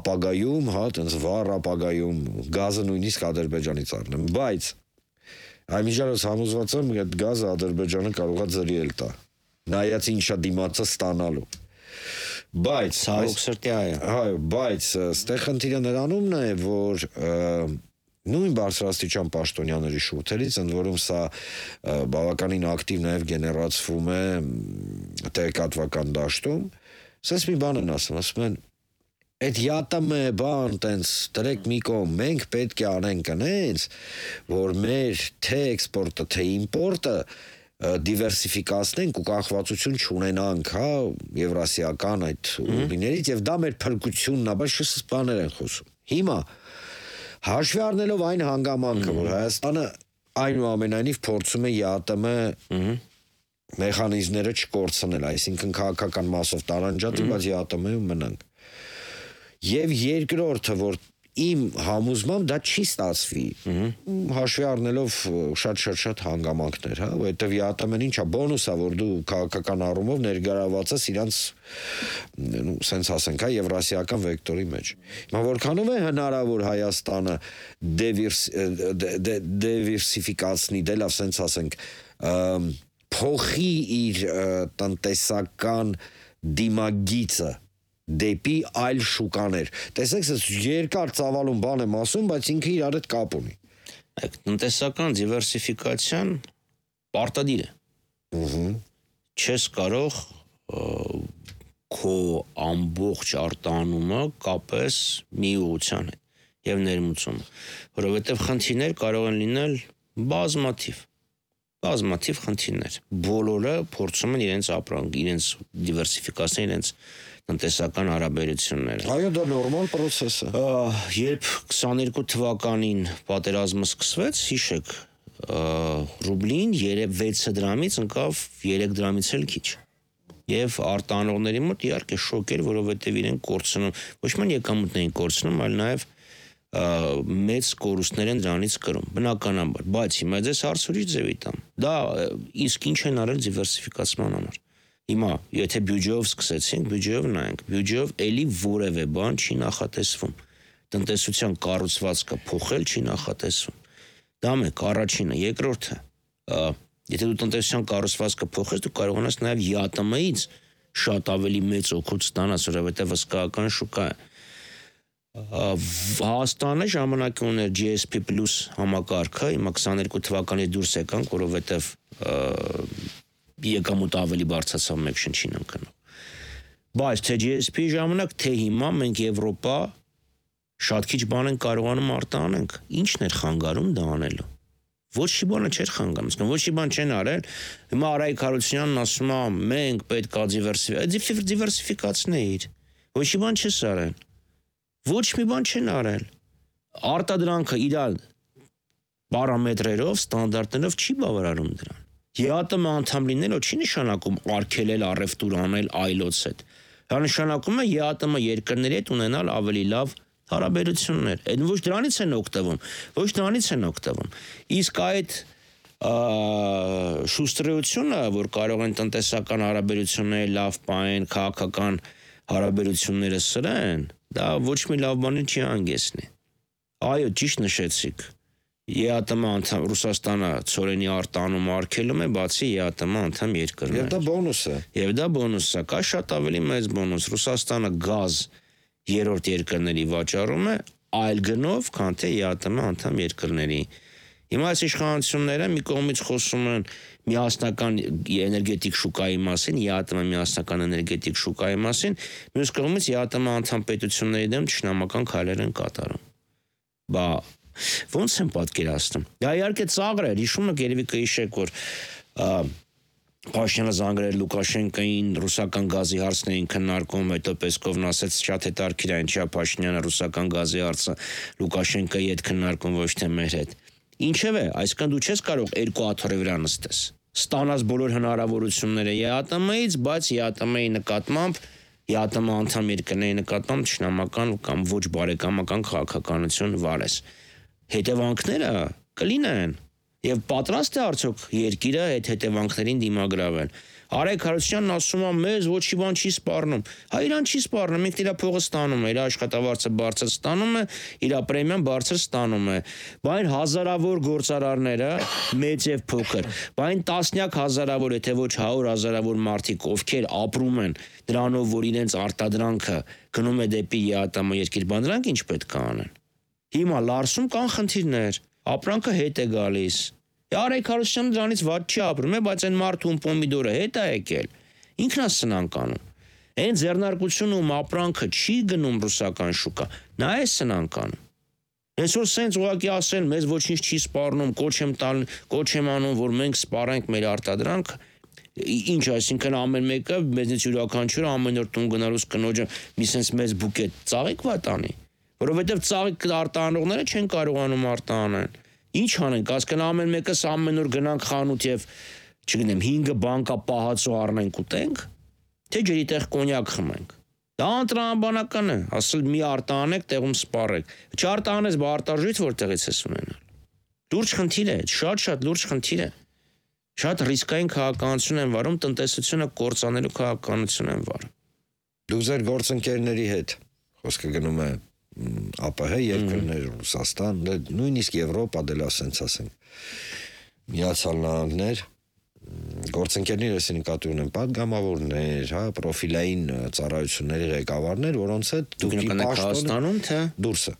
[SPEAKER 2] ապագայում, հա, տենց վառ ապագայում գազը նույնիսկ Ադրբեջանից առնեն, բայց այմիջիայլոց համոզված եմ, այդ գազը Ադրբեջանը կարող է ձրիել տա, նայած ինչա դիմացը ստանալու։ Բայց
[SPEAKER 3] ցավոք սրտի այո,
[SPEAKER 2] այո, բայց ստեղ խնդիրը նրանումն է, որ նույն բարձրաստիճան պաշտոնյաների շուրթերից, ընդ որում սա բավականին ակտիվ նաև գեներացվում է տեղեկատվական դաշտում, ասես մի բան են ասում, ասում են այդ յատմ բան տենց դրեք մի կողմ, մենք պետք է անենք այնց, որ մեր թե էքսպորտը, թե իմպորտը դիվերսիֆիկացնենք ու կախվածություն չունենանք, հա, եվրասիական այդ ուղիներից եւ դա մեր փրկությունն է, բայց շս բաներ են խոսում։ Հիմա հաշվի առնելով այն հանգամանքը, որ Հայաստանը այնուամենայնիվ փորձում է յատմ մեխանիզմները չկորցնել, այսինքն քաղաքական մասով տարանջատի, բայց յատմ-ում մնանք։ Եվ երկրորդը, որ իմ համոզմամբ դա չի ստացվի, հաշվի առնելով շատ-շատ-շատ հանգամանքներ, հա, որովհետև յատմ-ն ինչա բոնուս է, որ դու քաղաքական առումով ներգրավված ես իրանց, սենց ասենք, հա, եվրասիական վեկտորի մեջ։ Հիմա որքանով է հնարավոր Հայաստանը դիվերսիֆիկացնի, դե լավ, սենց ասենք, փոխի իր տնտեսական դիմագիծը դեպի այլ շուկաներ։ Տեսեք, ես երկար ծավալուն բան եմ ասում, բայց ինքը իրար հետ կապ ունի։
[SPEAKER 3] Այդ տնտեսական դիվերսիֆիկացիան պարտադիր է։ Չես կարող քո ամբողջ արտանումը կապես մի ուղղության հետ եւ ներմուծումը, որովհետեւ խնդիրներ կարող են լինել բազմաթիվ։ բազմաթիվ խնդիրներ։ Բոլորը փորձում են իրենց ապրանք, իրենց դիվերսիֆիկացնել իրենց տնտեսական հարաբերությունները։
[SPEAKER 2] Այո, դա նորմալ process է։
[SPEAKER 3] Երբ քսաներկու թվականին պատերազմը սկսվեց, հիշեք, ռուբլին վեց դրամից ընկավ երեք դրամից էլ քիչ։ Եվ արտանողների մոտ իհարկե շոկ էր, որովհետև իրենք կորցնում, ոչ միայն եկամուտներ էին կորցնում, այլ նաև մեծ կորուստներ են դրանից կրում, բնականաբար, բայց հիմա ձեզ հարց ուրիշ ձևի տամ։ Դա իսկ ինչ են արել դիվերսիֆիկացման համար։ Հիմա, եթե բյուջեով սկսեցինք, բյուջեով նայենք, բյուջեով էլի որևէ բան չի նախատեսվում։ Տնտեսության կառուցվածքը փոխել չի նախատեսվում։ Դա մեկ, առաջինը, երկրորդը, եթե դու տնտեսության կառուցվածքը փոխես, դու կարող ես նաև ԵԱՏՄ-ից շատ ավելի մեծ օգուտ ստանաս, որովհետև հսկայական շուկա է։ Հայաստանը ժամանակ ուներ Ջի Էս Պի պլյուս համակարգը, հիմա քսաներկու թվականից դուրս եկանք, որովհետև եկամուտ ավելի բարձրացավ մեկ շնչին ընկնող։ Բայց թե Ջի Էս Պի ժամանակ, թե հիմա մենք Եվրոպա շատ քիչ բան ենք կարողանում արտանենք։ Ի՞նչն էր խանգարում դա անելու։ Ոչ մի բանը չէր խանգարում, ոչ մի բան չեն արել։ Հիմա Արայիկ Հարությունյանն ասում է, մենք պետք է դիվերսիֆիկացնել։ Ոչ մի բան չես արել։ Ոչ մի բան չեն արել։ Արտադրանքը իր պարամետրերով, ստանդարտներով չի բավարարում դրան։ ԵԱՏՄ անդամ լինելը չի նշանակում արգելել առևտուր անել այլոց հետ։ Դա նշանակում է ԵԱՏՄ երկրների հետ ունենալ ավելի լավ հարաբերություններ։ Այդ ոչ դրանից են օգտվում, ոչ դրանից են օգտվում։ Իսկ այդ շուստրությունը, որ կարող են տնտեսական հարաբերությունները լավ պահեն, քաղաքական հարաբերությունները սրեն, դա ոչ մի լավ բանի չի հանգեցնի։ Այո, ճիշտ նշեցիք։ ԵԱՏՄ անդամ Ռուսաստանը ծորենի արտանում արգելում է, բացի ԵԱՏՄ անդամ երկրներ։
[SPEAKER 2] Եվ դա բոնուս է։
[SPEAKER 3] Եվ դա բոնուս է, կա շատ ավելի մեծ բոնուս։ Ռուսաստանը գազ երրորդ երկրների վաճառում է այլ գնով, քան թե ԵԱՏՄ անդամ երկրների։ Հիմա այս իշխանությունները մի կողմից խոսում են միասնական էներգետիկ շուկայի մասին, ԵԱՏՄ միասնական էներգետիկ շուկայի մասին, մյուս կողմից ԵԱՏՄ անդամ պետությունների դեմ ճշնամական քայլեր են կատարում։ Բա ո՞նց են պատկերացնում։ Դա իհարկե ծաղր է, հիշում եք, երևի կհիշեք, որ Փաշինյանը զանգրել Լուկաշենկոին, ռուսական գազի հարցն էին քննարկում, հետո Պեսկովն ասաց շատ հետաքրքիր է, ինչա Փաշինյանը ռուսական գազի հարցը Լուկաշենկոյի հետ քննարկում, ոչ թե մեր հետ։ Ինչևէ, այսքան դու չես կարող երկու աթոռի վրա նստես։ Ստանաս բոլոր հնարավորությունները ԵԱՏՄ-ից, բայց ԵԱՏՄ-ի նկատմամբ, ԵԱՏՄ անդամ երկրների նկատմամբ ճշնամական կամ ոչ բարեկամական քաղաքականություն վարես։ Հետևանքները կլինեն։ Եվ պատրաստ է արդյոք երկիրը այդ հետևանքներին դիմագրավել։ Արայիկ Հարությունյանն ասում է, մեզ ոչ մի բան չի սպառնում։ Հա իրան չի սպառնում, ինքն իր փողը ստանում է, իր աշխատավարձը բարձր ստանում է, իր պրեմիան բարձր ստանում է։ Բայն հազարավոր գործարարները, մեծ եւ փոքր, բայն տասնյակ հազարավոր, եթե ոչ հարյուր հազարավոր մարդիկ, ովքեր ապրում են դրանով, որ իրենց արտադրանքը գնում է դեպի ԵԱՏՄ երկիր, բան դրանք ինչ պետք է անեն։ Հիմա Լարսում կան խնդիրներ, ապրանքը հետ է գալիս։ Արայիկ Հարությունյանը դրանից ված չի ապրում է, բայց այն մարդուն պոմիդորը հետ է եկել։ Ինքն է սնանկանում։ Այն ձեռնարկությունում ապրանքը չի գնում ռուսական շուկա, նա է սնանկանում։ Այսօր սենց ուղղակի ասեն, մեզ ոչինչ չի սպառնում, կոչ եմ տալ, կոչ եմ անում, որ մենք սպառենք մեր արտադրանքը։ Ինչ, այսինքն ամեն մեկը մեզնից յուրաքանչյուրը ամեն օր տուն գնալուց կնոջը մի սենց մեծ բուկետ ծաղիկ վատանի, որովհետև ծաղիկ արտահանողները չեն կարողանում արտահանել։ Ինչ անենք, ասկան ամեն մեկս ամեն օր գնանք խանութ եւ, չգիտեմ, հինգը բանկա պահածո առնենք ուտենք, թե ջրի տեղ կոնյակ խմենք։ Դա անտրամաբանական է, ասել մի արտահանեք, տեղում սպառեք։ Չարտահանես, բա արտարժույթ որտեղից ես ունենալ։ Լուրջ խնդիր է, շատ-շատ լուրջ խնդիր է։ Շատ ռիսկային քաղաքականություն են վարում, տնտեսությունը կործանելու քաղաքականություն են վարում։
[SPEAKER 2] Դուք ձեր գործընկերների հետ խոսքը գնում է ԱՊՀ երկրներ, Ռուսաստան, նույնիսկ Եվրոպա դել ասենց ասենք, Միացյալ Նահանգներ, գործընկերներ ես նկատի ունեմ պատգամավորներ, հա, պրոֆիլային ծառայությունների ղեկավարներ, որոնց հետ
[SPEAKER 3] դուք Հայաստանում թե
[SPEAKER 2] դուրսը։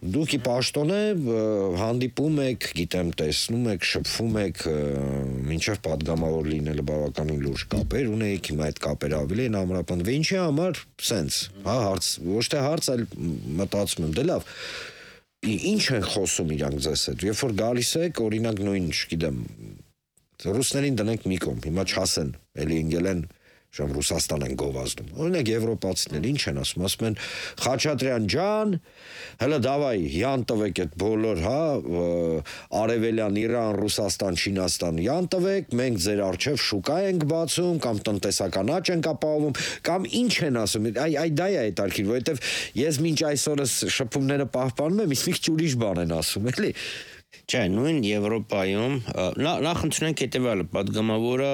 [SPEAKER 2] Դուք ի պաշտոնե հանդիպում եք, գիտեմ, տեսնում եք, շփվում եք, մինչև պատգամավոր լինելը բավականին լուրջ կապեր ունեիք, հիմա այդ կապերը ավելի են ամրապնդվել։ Ինչի համար սենց, հա, հարց, ոչ թե հարց, այլ մտածում եմ, դե լավ, ինչ են խոսում իրանք ձեզ հետ։ Երբ որ գալիս եք, օրինակ նույն, չգիտեմ, ռուսներին դնենք մի կողմ, հիմա չասեն, էլի ընկել են Ժամ Ռուսաստան են գովազդում։ Օրինակ եվրոպացիներ ինչ են ասում, ասում են Խաչատրյան ջան, հələ դավայ, յան տվեք այդ բոլոր, հա, Արևելյան Իրան, Ռուսաստան, Չինաստան, յան տվեք, մենք ձեր առջև շուկա ենք բացում, կամ տնտեսական աճ ենք ապահովում, կամ ինչ են ասում։ Այ այ դա է հետաքրքիր, որովհետև ես մինչ այսօրս շփումները պահպանում եմ, իսկ մի ուրիշ բան են ասում, էլի։
[SPEAKER 3] Չէ, նույն Եվրոպայում նախ ընդունենք հետևյալը, падգամավորը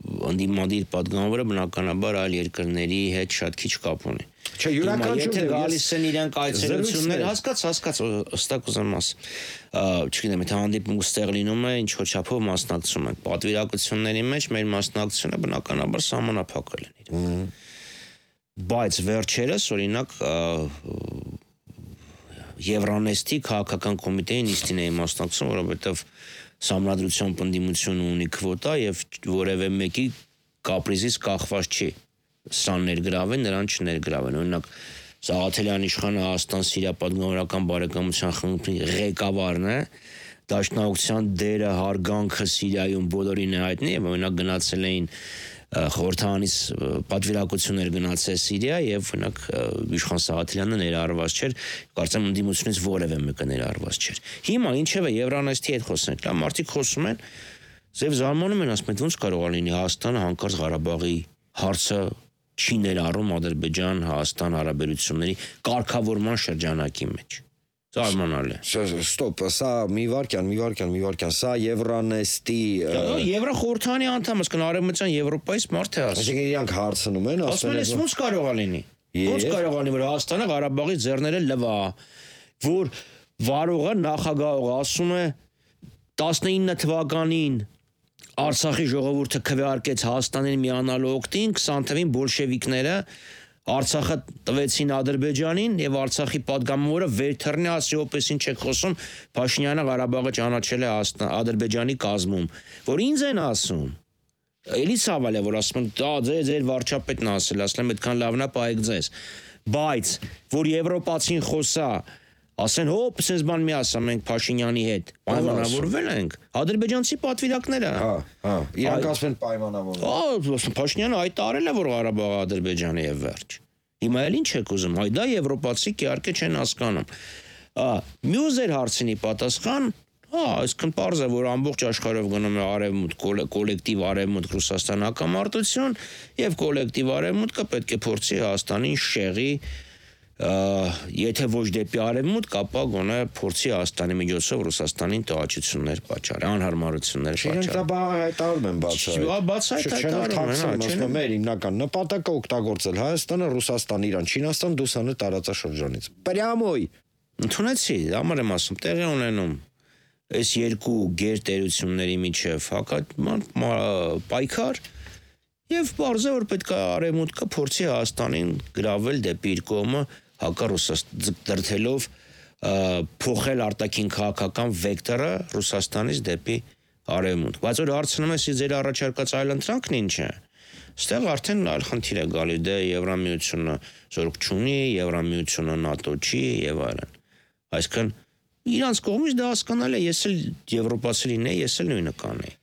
[SPEAKER 3] անդիմադիր падգամավորը բնականաբար այլ երկրների հետ շատ քիչ կապ ունի։
[SPEAKER 2] Չէ, յուրաքանչյուրն
[SPEAKER 3] է գալիս են իրանք այցելություններ, հասկաց, հասկաց, հստակ ուզեմ ասել։ Չգիտեմ, եթե հանդիպում ստեղ լինում է, ինչ որ չափով մասնակցում ենք։ Պատվիրակությունների մեջ մեր մասնակցությունը բնականաբար սահմանափակ է լինի։ Բայց վերջերս, օրինակ, Եվրանեստի քաղաքական կոմիտեի նիստին էի մասնակցում, որովհետև Սամրադրության պնդիմություն ունի քվոտա եւ որևէ մեկի կապրիզից կախված չի։ Սան ներգրավեն, նրան չներգրավեն։ Օրինակ Սաղաթելյան իշխանը Հայաստան-Սիրիա պատգամավորական բարեկամության խմբի ղեկավարն է, դաշնակցության դերը հարգանքը Սիրիայում բոլորին է հայտնի եւ օրինակ գնացել էին խորհրդանից պատվիրակություններ գնացել Սիրիա եւ օրինակ իշխան Սաղաթելյանը ներառված չէր, կարծեմ ընդդիմությունից որևէ մեկը ներառված չէր։ Հիմա ինչեւ է Եվրանեստի հետ խոսենք, լավ մարդիկ խոսում են, ձեւ զարմանում են, ասում են ոնց կարող է լինի Հայաստանը հանկարծ Ղարաբաղի հարցը չի ներառում Ադրբեջան-Հայաստան հարաբերությունների կարգավորման շրջանակի մեջ։ Զարմանալ է։
[SPEAKER 2] Ստոպ, սա մի վարքյան, մի վարքյան, մի վարքյան, սա Եվրանեստի
[SPEAKER 3] Եվրոխորհրդանի անդամ, ասկան Արևմտյան Եվրոպայից մարդ է ասում։
[SPEAKER 2] Այսինքն իրանք հարցնում են,
[SPEAKER 3] ասում են, ոնց կարող է լինի։ Ոնց կարող է լինի, որ Հայաստանը Ղարաբաղի ձեռները լվա, որ վարողը նախագահողը ասում է տասնինը թվականին Արցախի ժողովուրդը քվեարկեց Հայաստանին միանալու օգտին, քսան թվականին բոլշևիկները Արցախը տվեցին Ադրբեջանին եւ Արցախի падգամավորը վերթռնի ասի ոպես ինչ եք խոսում Փաշինյանը Ղարաբաղը ճանաչել է Ադրբեջանի կազմում, որ ինձ են ասում։ Էլի ցավալ է, որ ասում են, «Դա ձեր ձեր վարչապետն ասել, ասել եմ, այդքան լավն է պահեք ձեզ»։ Բայց որ եվրոպացին խոսա, ասեն, հոп, սենց բան մի ասա, մենք Փաշինյանի հետ պայմանավորվել ենք, ադրբեջանցի պատվիրակները։
[SPEAKER 2] Հա, հա, իրանք ասում են պայմանավորվել։
[SPEAKER 3] Հա, Փաշինյանը հայտարարել է, որ Ղարաբաղը Ադրբեջանի է վերջ։ Հիմա էլ ինչ եք ուզում, այ դա եվրոպացի իհարկե չեն հասկանում։ Մյուս ձեր հարցինի պատասխան, հա, այսքան պարզ է, որ ամբողջ աշխարհով գնում է արևմուտք, կոլեկտիվ արևմուտք Ռուսաստան հակամարտություն եւ կոլեկտիվ արևմուտքը պետք է փորձի Հայաստանին շեղի եթե ոչ դեպի արևմուտք, ապա գոնե փորձի Հայաստանի միջոցով Ռուսաստանին տոհաճություններ պատճառ, անհարմարություններ պատճառ։
[SPEAKER 2] Չենք դա հայտարարում են բացահայտ։
[SPEAKER 3] Բացահայտ հայտարարում են,
[SPEAKER 2] մեր հիմնական նպատակը օգտագործել Հայաստանը, Ռուսաստան, Իրան, Չինաստան, դուսանը տարածաշրջանից։ Պրյամոյ։
[SPEAKER 3] Ընդունեցի, համար եմ ասում, տեղի ունենում այս երկու գերտերությունների միջև հակա պայքար եւ բարձր որ պետք է արևմուտքը փորձի Հայաստանին գրավել դեպի իր կողմը հակառուսաստան դրթելով փոխել արտաքին քաղաքական վեկտորը Ռուսաստանից դեպի արևմուտք։ Բայց որ հարցնում ես ձեր առաջարկած այլ ընտրանքն ինչ է։ Ստեղ արդեն այլ խնդիր է գալի, դե Եվրամիությունը զորք չունի, Եվրամիությունը ՆԱՏՕ չի եւ այլն։ Այսինքն իրանց կողմից դա հասկանալ է, ես էլ եվրոպացի լինեի, ես էլ նույնը կանեի։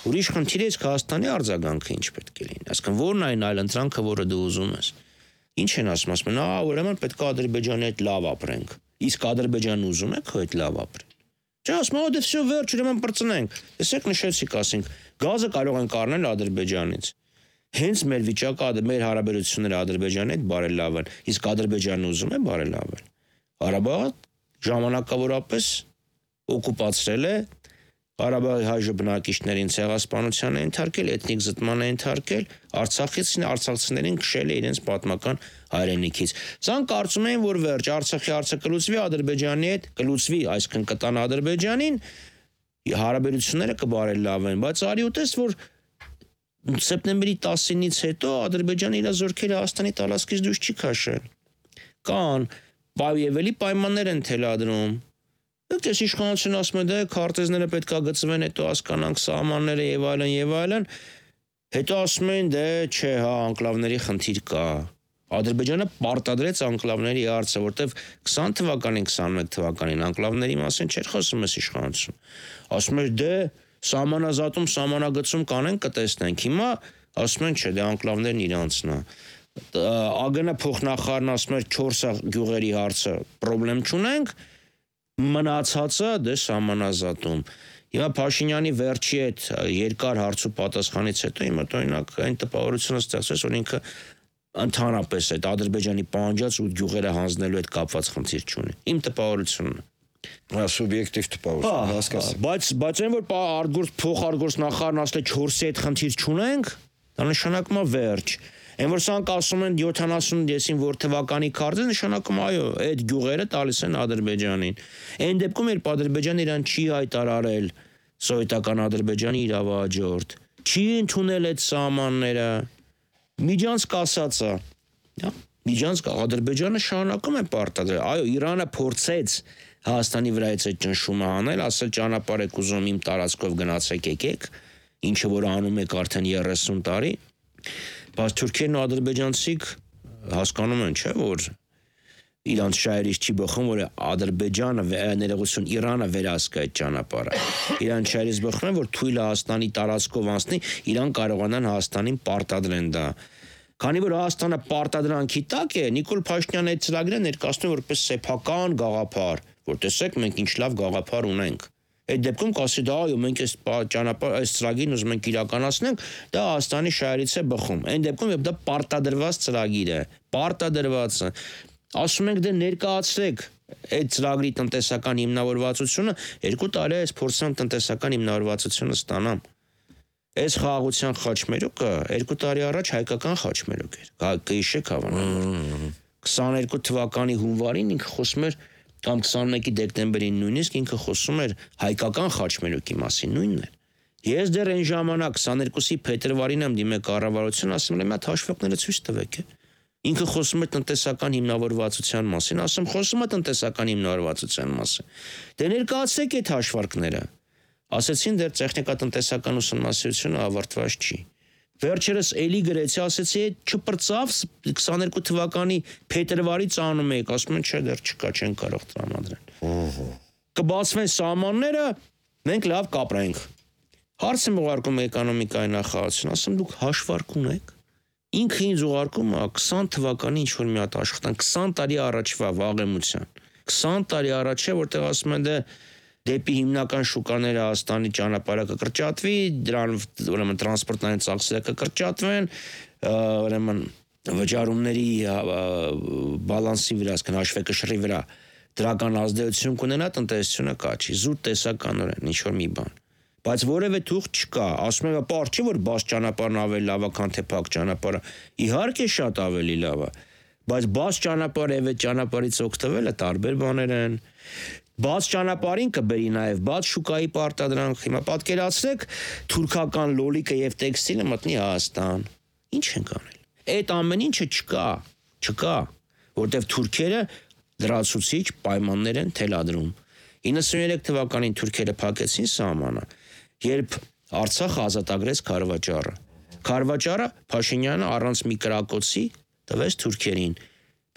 [SPEAKER 3] Ուրիշ խնդիր է Հայաստանի արձագանքը ինչ պետք է լինի։ Այսինքն ո՞րն է այն այլ ընտրանքը, որը դու ուզում ես։ Ինչ են ասում, ասում են, «Ահա, ուրեմն պետք է Ադրբեջանի հետ լավ ապրենք»։ Իսկ Ադրբեջանը ուզում է քո հետ լավ ապրել։ Չէ, ասում են, «Դե վсё վերջ, ուրեմն պրծնենք»։ Տեսեք, նշեցիք, ասենք, գազը կարող ենք առնել Ադրբեջանից։ Հենց մեր վիճակը, մեր հարաբերությունները Ադրբեջանի հետ բարելավեն, իսկ Ադրբեջանը ուզում է բարելավել։ Ղարաբաղը ժամանակավորապես օկուպացրել է, Ղարաբաղի հայ բնակիչներին ցեղասպանության է ենթարկել, էթնիկ զտման է ենթարկել, Արցախից արցախցիներին քշել է իրենց պատմական հայրենիքից։ Սան կարծում են, որ վերջ Արցախի հարցը կլուծվի Ադրբեջանի հետ, կլուծվի, այսինքն կտան Ադրբեջանին, հարաբերությունները կբարելավեն, բայց արի ուտես, որ սեպտեմբերի տասինից հետո Ադրբեջանը իր զորքերը Հայաստանի տարածքից դուրս չի քաշել։ Կան պայևելի պայմաններ են թելադրում։ Դուք ես իշխանությունը ասում եք, դե քարտեզները պետք է գծվեն, հետո հասկանանք սահմանները եւ այլն եւ այլն։ Հետո ասում են, դե չէ, հա, անկլավների խնդիր կա։ Ադրբեջանը պարտադրեց անկլավների հարցը, որտեվ քսան թվականին, քսանմեկ թվականին անկլավների մասին չէր խոսում այս իշխանություն։ Ասում էր դե սահմանազատում, սահմանագծում կանեն կտեսնենք։ Հիմա ասում են չէ, դե անկլավներն իրանցն է։ ԱԳՆ փոխնախարարն ասում էր չորս գյուղերի հարցը պրոբլեմ չունենք, մնացածը դե սահմանազատում։ Հիմա Փաշինյանի վերջի այդ երկար հարցու պատասխանից հետո հիմա օրինակ այն տպավորությունը ստեղծվեց, որ ինքը ընդհանրապես այդ Ադրբեջանի պահանջած ու գյուղերը հանձնելու հետ կապված խնդիր չունի։ Իմ տպավորությունն է։
[SPEAKER 2] Սուբյեկտիվ տպավորություն, հասկացա։
[SPEAKER 3] Բայց բայց այն որ արգործ փոխարգործնախարարն ասել է չորսի հետ խնդիր չունենք, դա նշանակում է վերջ։ Այն որ սրանք ասում են յոթանասուն եսին որ թվականի քարտը նշանակում այո, այդ գյուղերը տալիս են Ադրբեջանին։ Այն դեպքում երբ Ադրբեջանը իրան չի հայտարարել սովետական Ադրբեջանի իրավահաջորդ, չի ընդունել այդ սահմանները, միջանցք ասած է, հա, միջանցք Ադրբեջանը շարունակում է պարտադրել։ Այո, Իրանը փորձեց Հայաստանի վրայից այդ ճնշումը անել, ասել ճանապարհ եք ուզում իմ տարածքով գնացեք եկեք, ինչը որ անում եք արդեն երեսուն տարի, բայց թուրքերն ու ադրբեջանցիք հասկանում են, չէ՞, որ իրանց շահերից չի բխում, որ Ադրբեջանը ներողություն Իրանը վերահսկա այդ ճանապարհը։ Իրանց շահերից բխում են, որ թույլ Հայաստանի տարածքով անցնի, Իրան կարողանան Հայաստանին պարտադրեն դա։ Քանի որ Հայաստանը պարտադրանքի տակ է, Նիկոլ Փաշինյանը այդ ծրագիրը ներկայացնում է որպես սեփական գաղափար, որ տեսեք մենք ինչ լավ գաղափար ունենք։ Այդ դեպքում կասի դա այո մենք այս ճանապարհ այս ծրագիրն ուզում ենք իրականացնենք, դա Հայաստանի շահերից է բխում։ Այն դեպքում երբ դա պարտադրված ծրագիր է, պարտադրված է, ասում ենք դե ներկայացրեք այդ ծրագրի տնտեսական հիմնավորվածությունը, երկու տարի այս փորձան տնտեսական հիմնավորվածությունը ստանամ։ Այս խաղաղության խաչմերուկը երկու տարի առաջ հայկական խաչմերուկ էր։ Կհիշեք հավանաբար։ քսաներկու թվականի հունվարին ինքը խոսում էր կամ քսանմեկի դեկտեմբերին նույնիսկ ինքը խոսում էր հայկական խաչմերուկի մասին, նույնն էր։ Ես դեռ այն ժամանակ քսաներկուսի փետրվարին եմ դիմել կառավարություն, ասում եմ, այդ հաշվարկները ցույց տվեք։ Ինքը խոսում է տնտեսական հիմնավորվածության մասին, ասում խոսում է տնտեսական հիմնավորվածության մասին։ Դե ներկայացրեք այդ հաշվարկները։ Ասեցին դեռ տեխնիկատնտեսական ուսումնասիրությունը ավարտված չի։ Վերջերս էլի գրեցի, ասեցի չպրծավ քսաներկու թվականի փետրվարից անում եք, ասում են չէ դեռ չկա, չեն կարող տրամադրել։ Կբացվեն սահմանները, մենք լավ կապրենք։ Հարց եմ ուղարկում էկոնոմիկայի նախարարություն, ասում դուք հաշվարկ ունեք։ Ինքը ինձ ուղարկում է քսան թվականի ինչ որ մի հատ աշխատանք, քսան տարի առաջվա վաղեմության։ քսան տարի առաջ է, որտեղ ասում են դե դեպի հիմնական շուկաները Հայաստանի ճանապարհը կկրճատվի, դրան ուրեմն տրանսպորտային ծախսերը կկրճատվեն, ուրեմն վճարումների բալանսի վրա, ասկան հաշվեկշռի վրա դրական ազդեցություն կունենա տնտեսությունը կաչի, զուտ տեսականորեն ինչ որ մի բան։ Բայց որևէ թուղթ չկա, ասում եմ, պարզ չի որ բաց ճանապարհն ավելի լավ է, քան թե փակ ճանապարհը։ Իհարկե շատ ավելի լավ է, բայց բաց ճանապարհը եւ այդ ճանապարհից օգտվելը տարբեր բաներ են։ Բաց ճանապարհին կբերի նաև բաց շուկայի պարտադրանք։ Հիմա պատկերացրեք թուրքական լոլիկը եւ տեքստիլը մտնի Հայաստան։ Ինչ ենք անել։ Այդ ամեն ինչը չկա, չկա, որտեվ թուրքերը լրացուցիչ պայմաններ են թելադրում։ իննսուններեք թվականին թուրքերը փակեցին սահմանը, երբ Արցախը ազատագրեց Քարվաճառը։ Քարվաճառը Փաշինյանը առանց մի կրակոցի տվեց թուրքերին,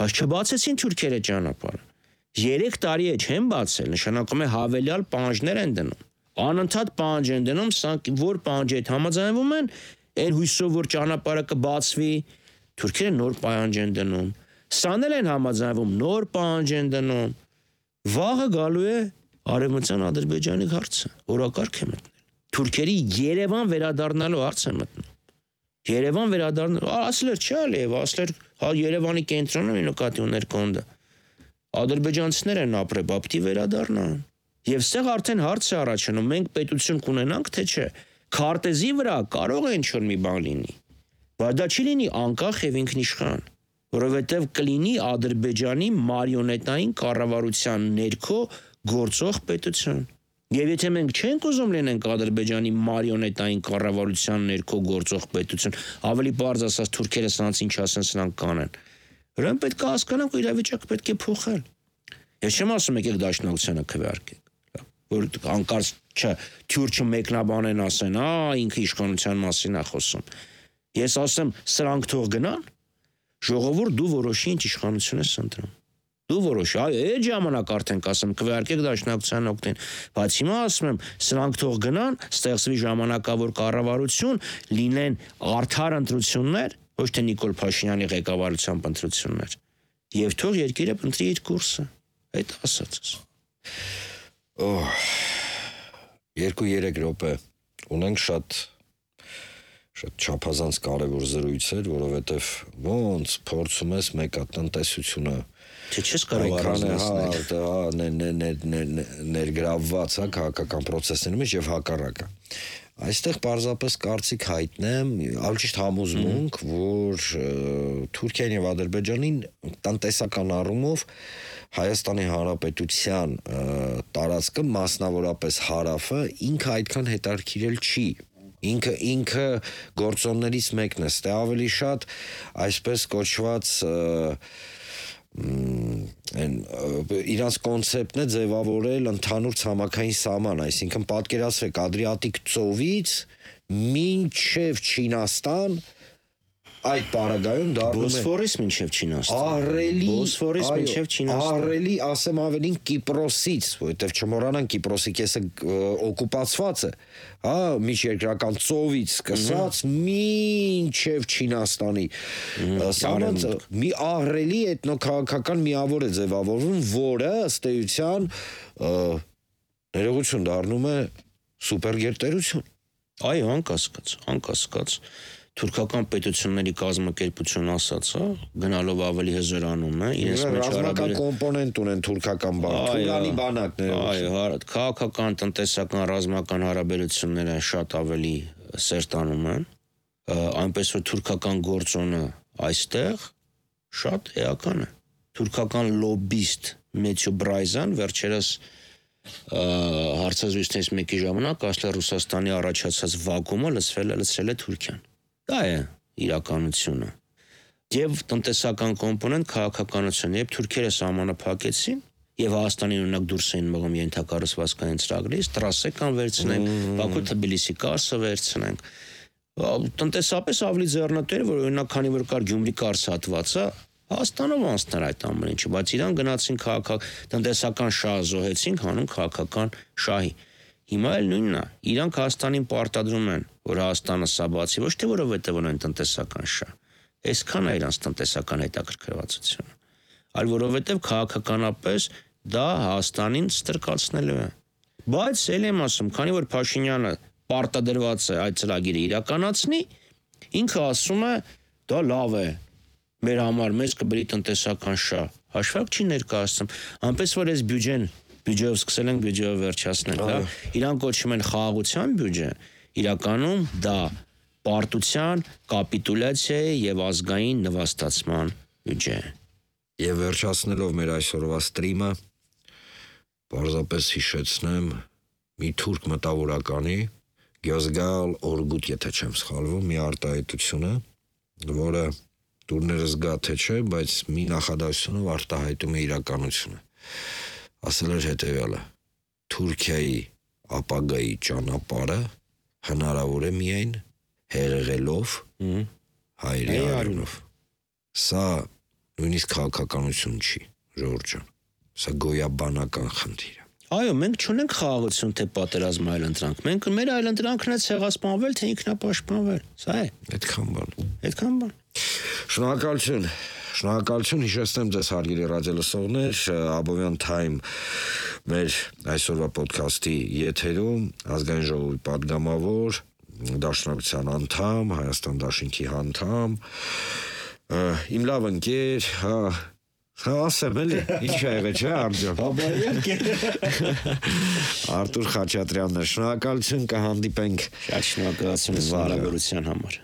[SPEAKER 3] բայց չբացեցին թուրքերը ճանապարհը։ Երեք տարի է չեն բացել, նշանակում է հավելյալ պահանջներ են դնում։ Անընդհատ պահանջ են դնում, սրանք որ պահանջի հետ համաձայնվում են, այն հույսով որ ճանապարհը կբացվի, թուրքերը նոր պահանջ են դնում։ Սանել են համաձայնվում, նոր պահանջ են դնում։ Վաղը գալու է Արևմտյան Ադրբեջանի հարցը, օրակարգ է մտնել։ Թուրքերի Երևան վերադառնալու հարց է մտնում։ Երևան վերադառնալու, ասլեր չի ալիև, ասլեր հա Երևանի կենտրոնը մի նկատի ուներ կոնդը։ Ադրբեջանցիներ են ապրել, բապտի վերադառնան։ Եվ ստեղ արդեն հարց է առաջանում, մենք պետություն կունենանք, թե չէ։ Քարտեզի վրա կարող է ինչ-որ մի բան լինի, բայց դա չի լինի անկախ եւ ինքնիշխան, որովհետեւ կլինի Ադրբեջանի մարիոնետային կառավարության ներքո գործող պետություն։ Եվ եթե մենք չենք ուզում լինենք Ադրբեջանի մարիոնետային կառավարության ներքո գործող պետություն, ավելի բարձ ասած թուրքերը սրանց ինչ ասեն, սրանք կանեն։ Ուրեմն պետք է հասկանանք, որ իրավիճակը պետք է փոխել։ Ես չեմ ասում եկեք դաշնակցությանը քվեարկեք, որ անկարծ չէ, թյուրչը մեկնաբանեն ասեն, «Ա, ինքը իշխանության մասին է խոսում»։ Ես ասեմ, սրանք թող գնան, Ժողովուրդ դու որոշի ինչ իշխանություն ես ընտրում։ Դու որոշ, այո, այդ ժամանակ արդեն կասեմ, կվարկեք դաշնակցության օգտին, բայց հիմա ասում եմ, սրանք թող գնան, ստեղծվի ժամանակավոր կառավարություն, լինեն արդար ընտրություններ, ոչ թե Նիկոլ Փաշինյանի ղեկավարությամբ ընտրություններ, եւ թող երկիրը ընտրի իր կուրսը։ Այդ ասածս։
[SPEAKER 2] Օհ, երկու-երեք րոպե ունենք շատ շատ չափազանց կարևոր զրույցեր, որովհետեւ ոնց փորձում ես մեկը տնտեսությունը
[SPEAKER 3] Չէ, չես կարող
[SPEAKER 2] առանձնացնել, ներգրավված է քաղաքական process-ների մեջ եւ հակառակը։ Այստեղ պարզապես կարծիք հայտնեմ, ավելի ճիշտ համոզմունք, որ Թուրքիան եւ Ադրբեջանին տնտեսական առումով Հայաստանի Հանրապետության տարածքը, մասնավորապես հարավը, ինքը այդքան հետաքրքիրել չի։ Ինքը ինքը գործոններից մեկն է, ստե ավելի շատ այսպես կոչված են իրանց կոնցեպտն է ձևավորել ընդհանուր ցամաքային սահման, այսինքն պատկերացրեք Ադրիատիկ ծովից մինչև Չինաստան այդ պարագայում դառնում է
[SPEAKER 3] Բոսֆորից մինչև Չինաստան։
[SPEAKER 2] Ահռելի,
[SPEAKER 3] Բոսֆորից մինչև Չինաստան։
[SPEAKER 2] Ահռելի, ասեմ ավելին Կիպրոսից, որովհետև չմոռանանք Կիպրոսի կեսը օկուպացված է, հա, միջերկրական ծովից սկսած մինչև Չինաստանի սահմանը մի ահռելի էթնոքաղաքական միավոր է ձևավորվում, որը ըստ էության ներողություն դառնում է սուպերգերտերություն։
[SPEAKER 3] Այո, անկասկած, անկասկած թուրքական պետությունների կազմակերպություն ասած, հա, գնալով ավելի հզորանում է, իրենց մեջ
[SPEAKER 2] ռազմական կոմպոնենտ ունեն թուրքական բան, Թուրանի բանակները։
[SPEAKER 3] Այո, քաղաքական, տնտեսական, ռազմական հարաբերությունները շատ ավելի սերտանում են, այնպես որ թուրքական գործոնը այստեղ շատ էական է։ Թուրքական լոբիստ Մեթյու Բրայզան վերջերս հարցազրույցներից մեկի ժամանակ ասել է Ռուսաստանի առաջացած վակուումը լցվել է լցրել է Թուրքիան։ Դա է իրականությունը։ Եվ տնտեսական կոմպոնենտ քաղաքականություն, երբ թուրքերը սահմանը փակեցին եւ Հայաստանին օրինակ դուրս էին մղում ենթակառուցվածքային ծրագրից, տրասեկան վերցնենք, Բաքու-Թբիլիսի կառսը վերցնենք։ Տնտեսապես ավելի ձեռնտու էր, որ օրինակ քանի որ կար Գյումրի կառսը հատվածը, Հայաստանով անցներ այդ ամեն ինչը, բայց իրան գնացին քաղաքական տնտեսական շահ զոհեցին, հանուն քաղաքական շահի։ Հիմա էլ նույնն է, իրանք Հայաստանին պարտադրում են, որ Հայաստանը սա բացի, ոչ թե որովհետև ունեն տնտեսական շահ, այսքան է իրանց տնտեսական հետաքրքրվածությունը, այլ որովհետև քաղաքականապես դա Հայաստանին ստրկացնելու է։ Բայց ել եմ ասում, քանի որ Փաշինյանը պարտադրված է այդ ծրագիրը իրականացնի, ինքը ասում է, դա լավ է, մեր համար մեզ կբերի տնտեսական շահ, հաշվարկ չի ներկայացնում, այնպես որ այս բյուջեն բյուջեով սկսել ենք, բյուջեով վերջացնել, հա, իրան կոչում են խաղաղության բյուջե, իրականում դա պարտության, կապիտուլյացիայի եւ ազգային նվաստացման բյուջե։
[SPEAKER 2] Եվ վերջացնելով մեր այսօրվա ստրիմը, պարզապես հիշեցնեմ մի թուրք մտավորականի Գյոզգալ Օրգուտ, եթե չեմ սխալվում, մի արտահայտությունը, որը դուրներս գա թե չէ, բայց մի նախադասությունով արտահայտում է իրականությունը։ Ասել էր հետևյալը. Թուրքիայի ապագայի ճանապարհը հնարավոր է միայն հեղեղելով հայերի արյունով։ Սա նույնիսկ քաղաքականություն չի, Ժորժ ջան։ Սա գոյաբանական խնդիր է։
[SPEAKER 3] Այո, մենք չունենք խաղաղություն թե պատերազմ այլընտրանք։ Մենք մեր այլընտրանքն է ցեղասպանվել թե ինքնապաշտպանվել։ Սա է։
[SPEAKER 2] Այդքան բան։
[SPEAKER 3] Այդքան բան։
[SPEAKER 2] Շնորհակալություն։ Շնորհակալություն, հիշեցնեմ ձեզ հարգելի ռադիոլսողներ, Abovյան Time մեր այսօրվա ոդքասթի եթերում ազգային ժողովի падգամավոր, Դաշնակցության անդամ, Հայաստան Դաշինքի անդամ, իմ լավ ընկեր, հա, հա, ասեմ էլի, ինչ ա եղել, չէ, Արտյոմ։ Արտուր Խաչատրյանն է, շնորհակալություն, կհանդիպենք։
[SPEAKER 3] Շատ շնորհակալություն զարավարության համար։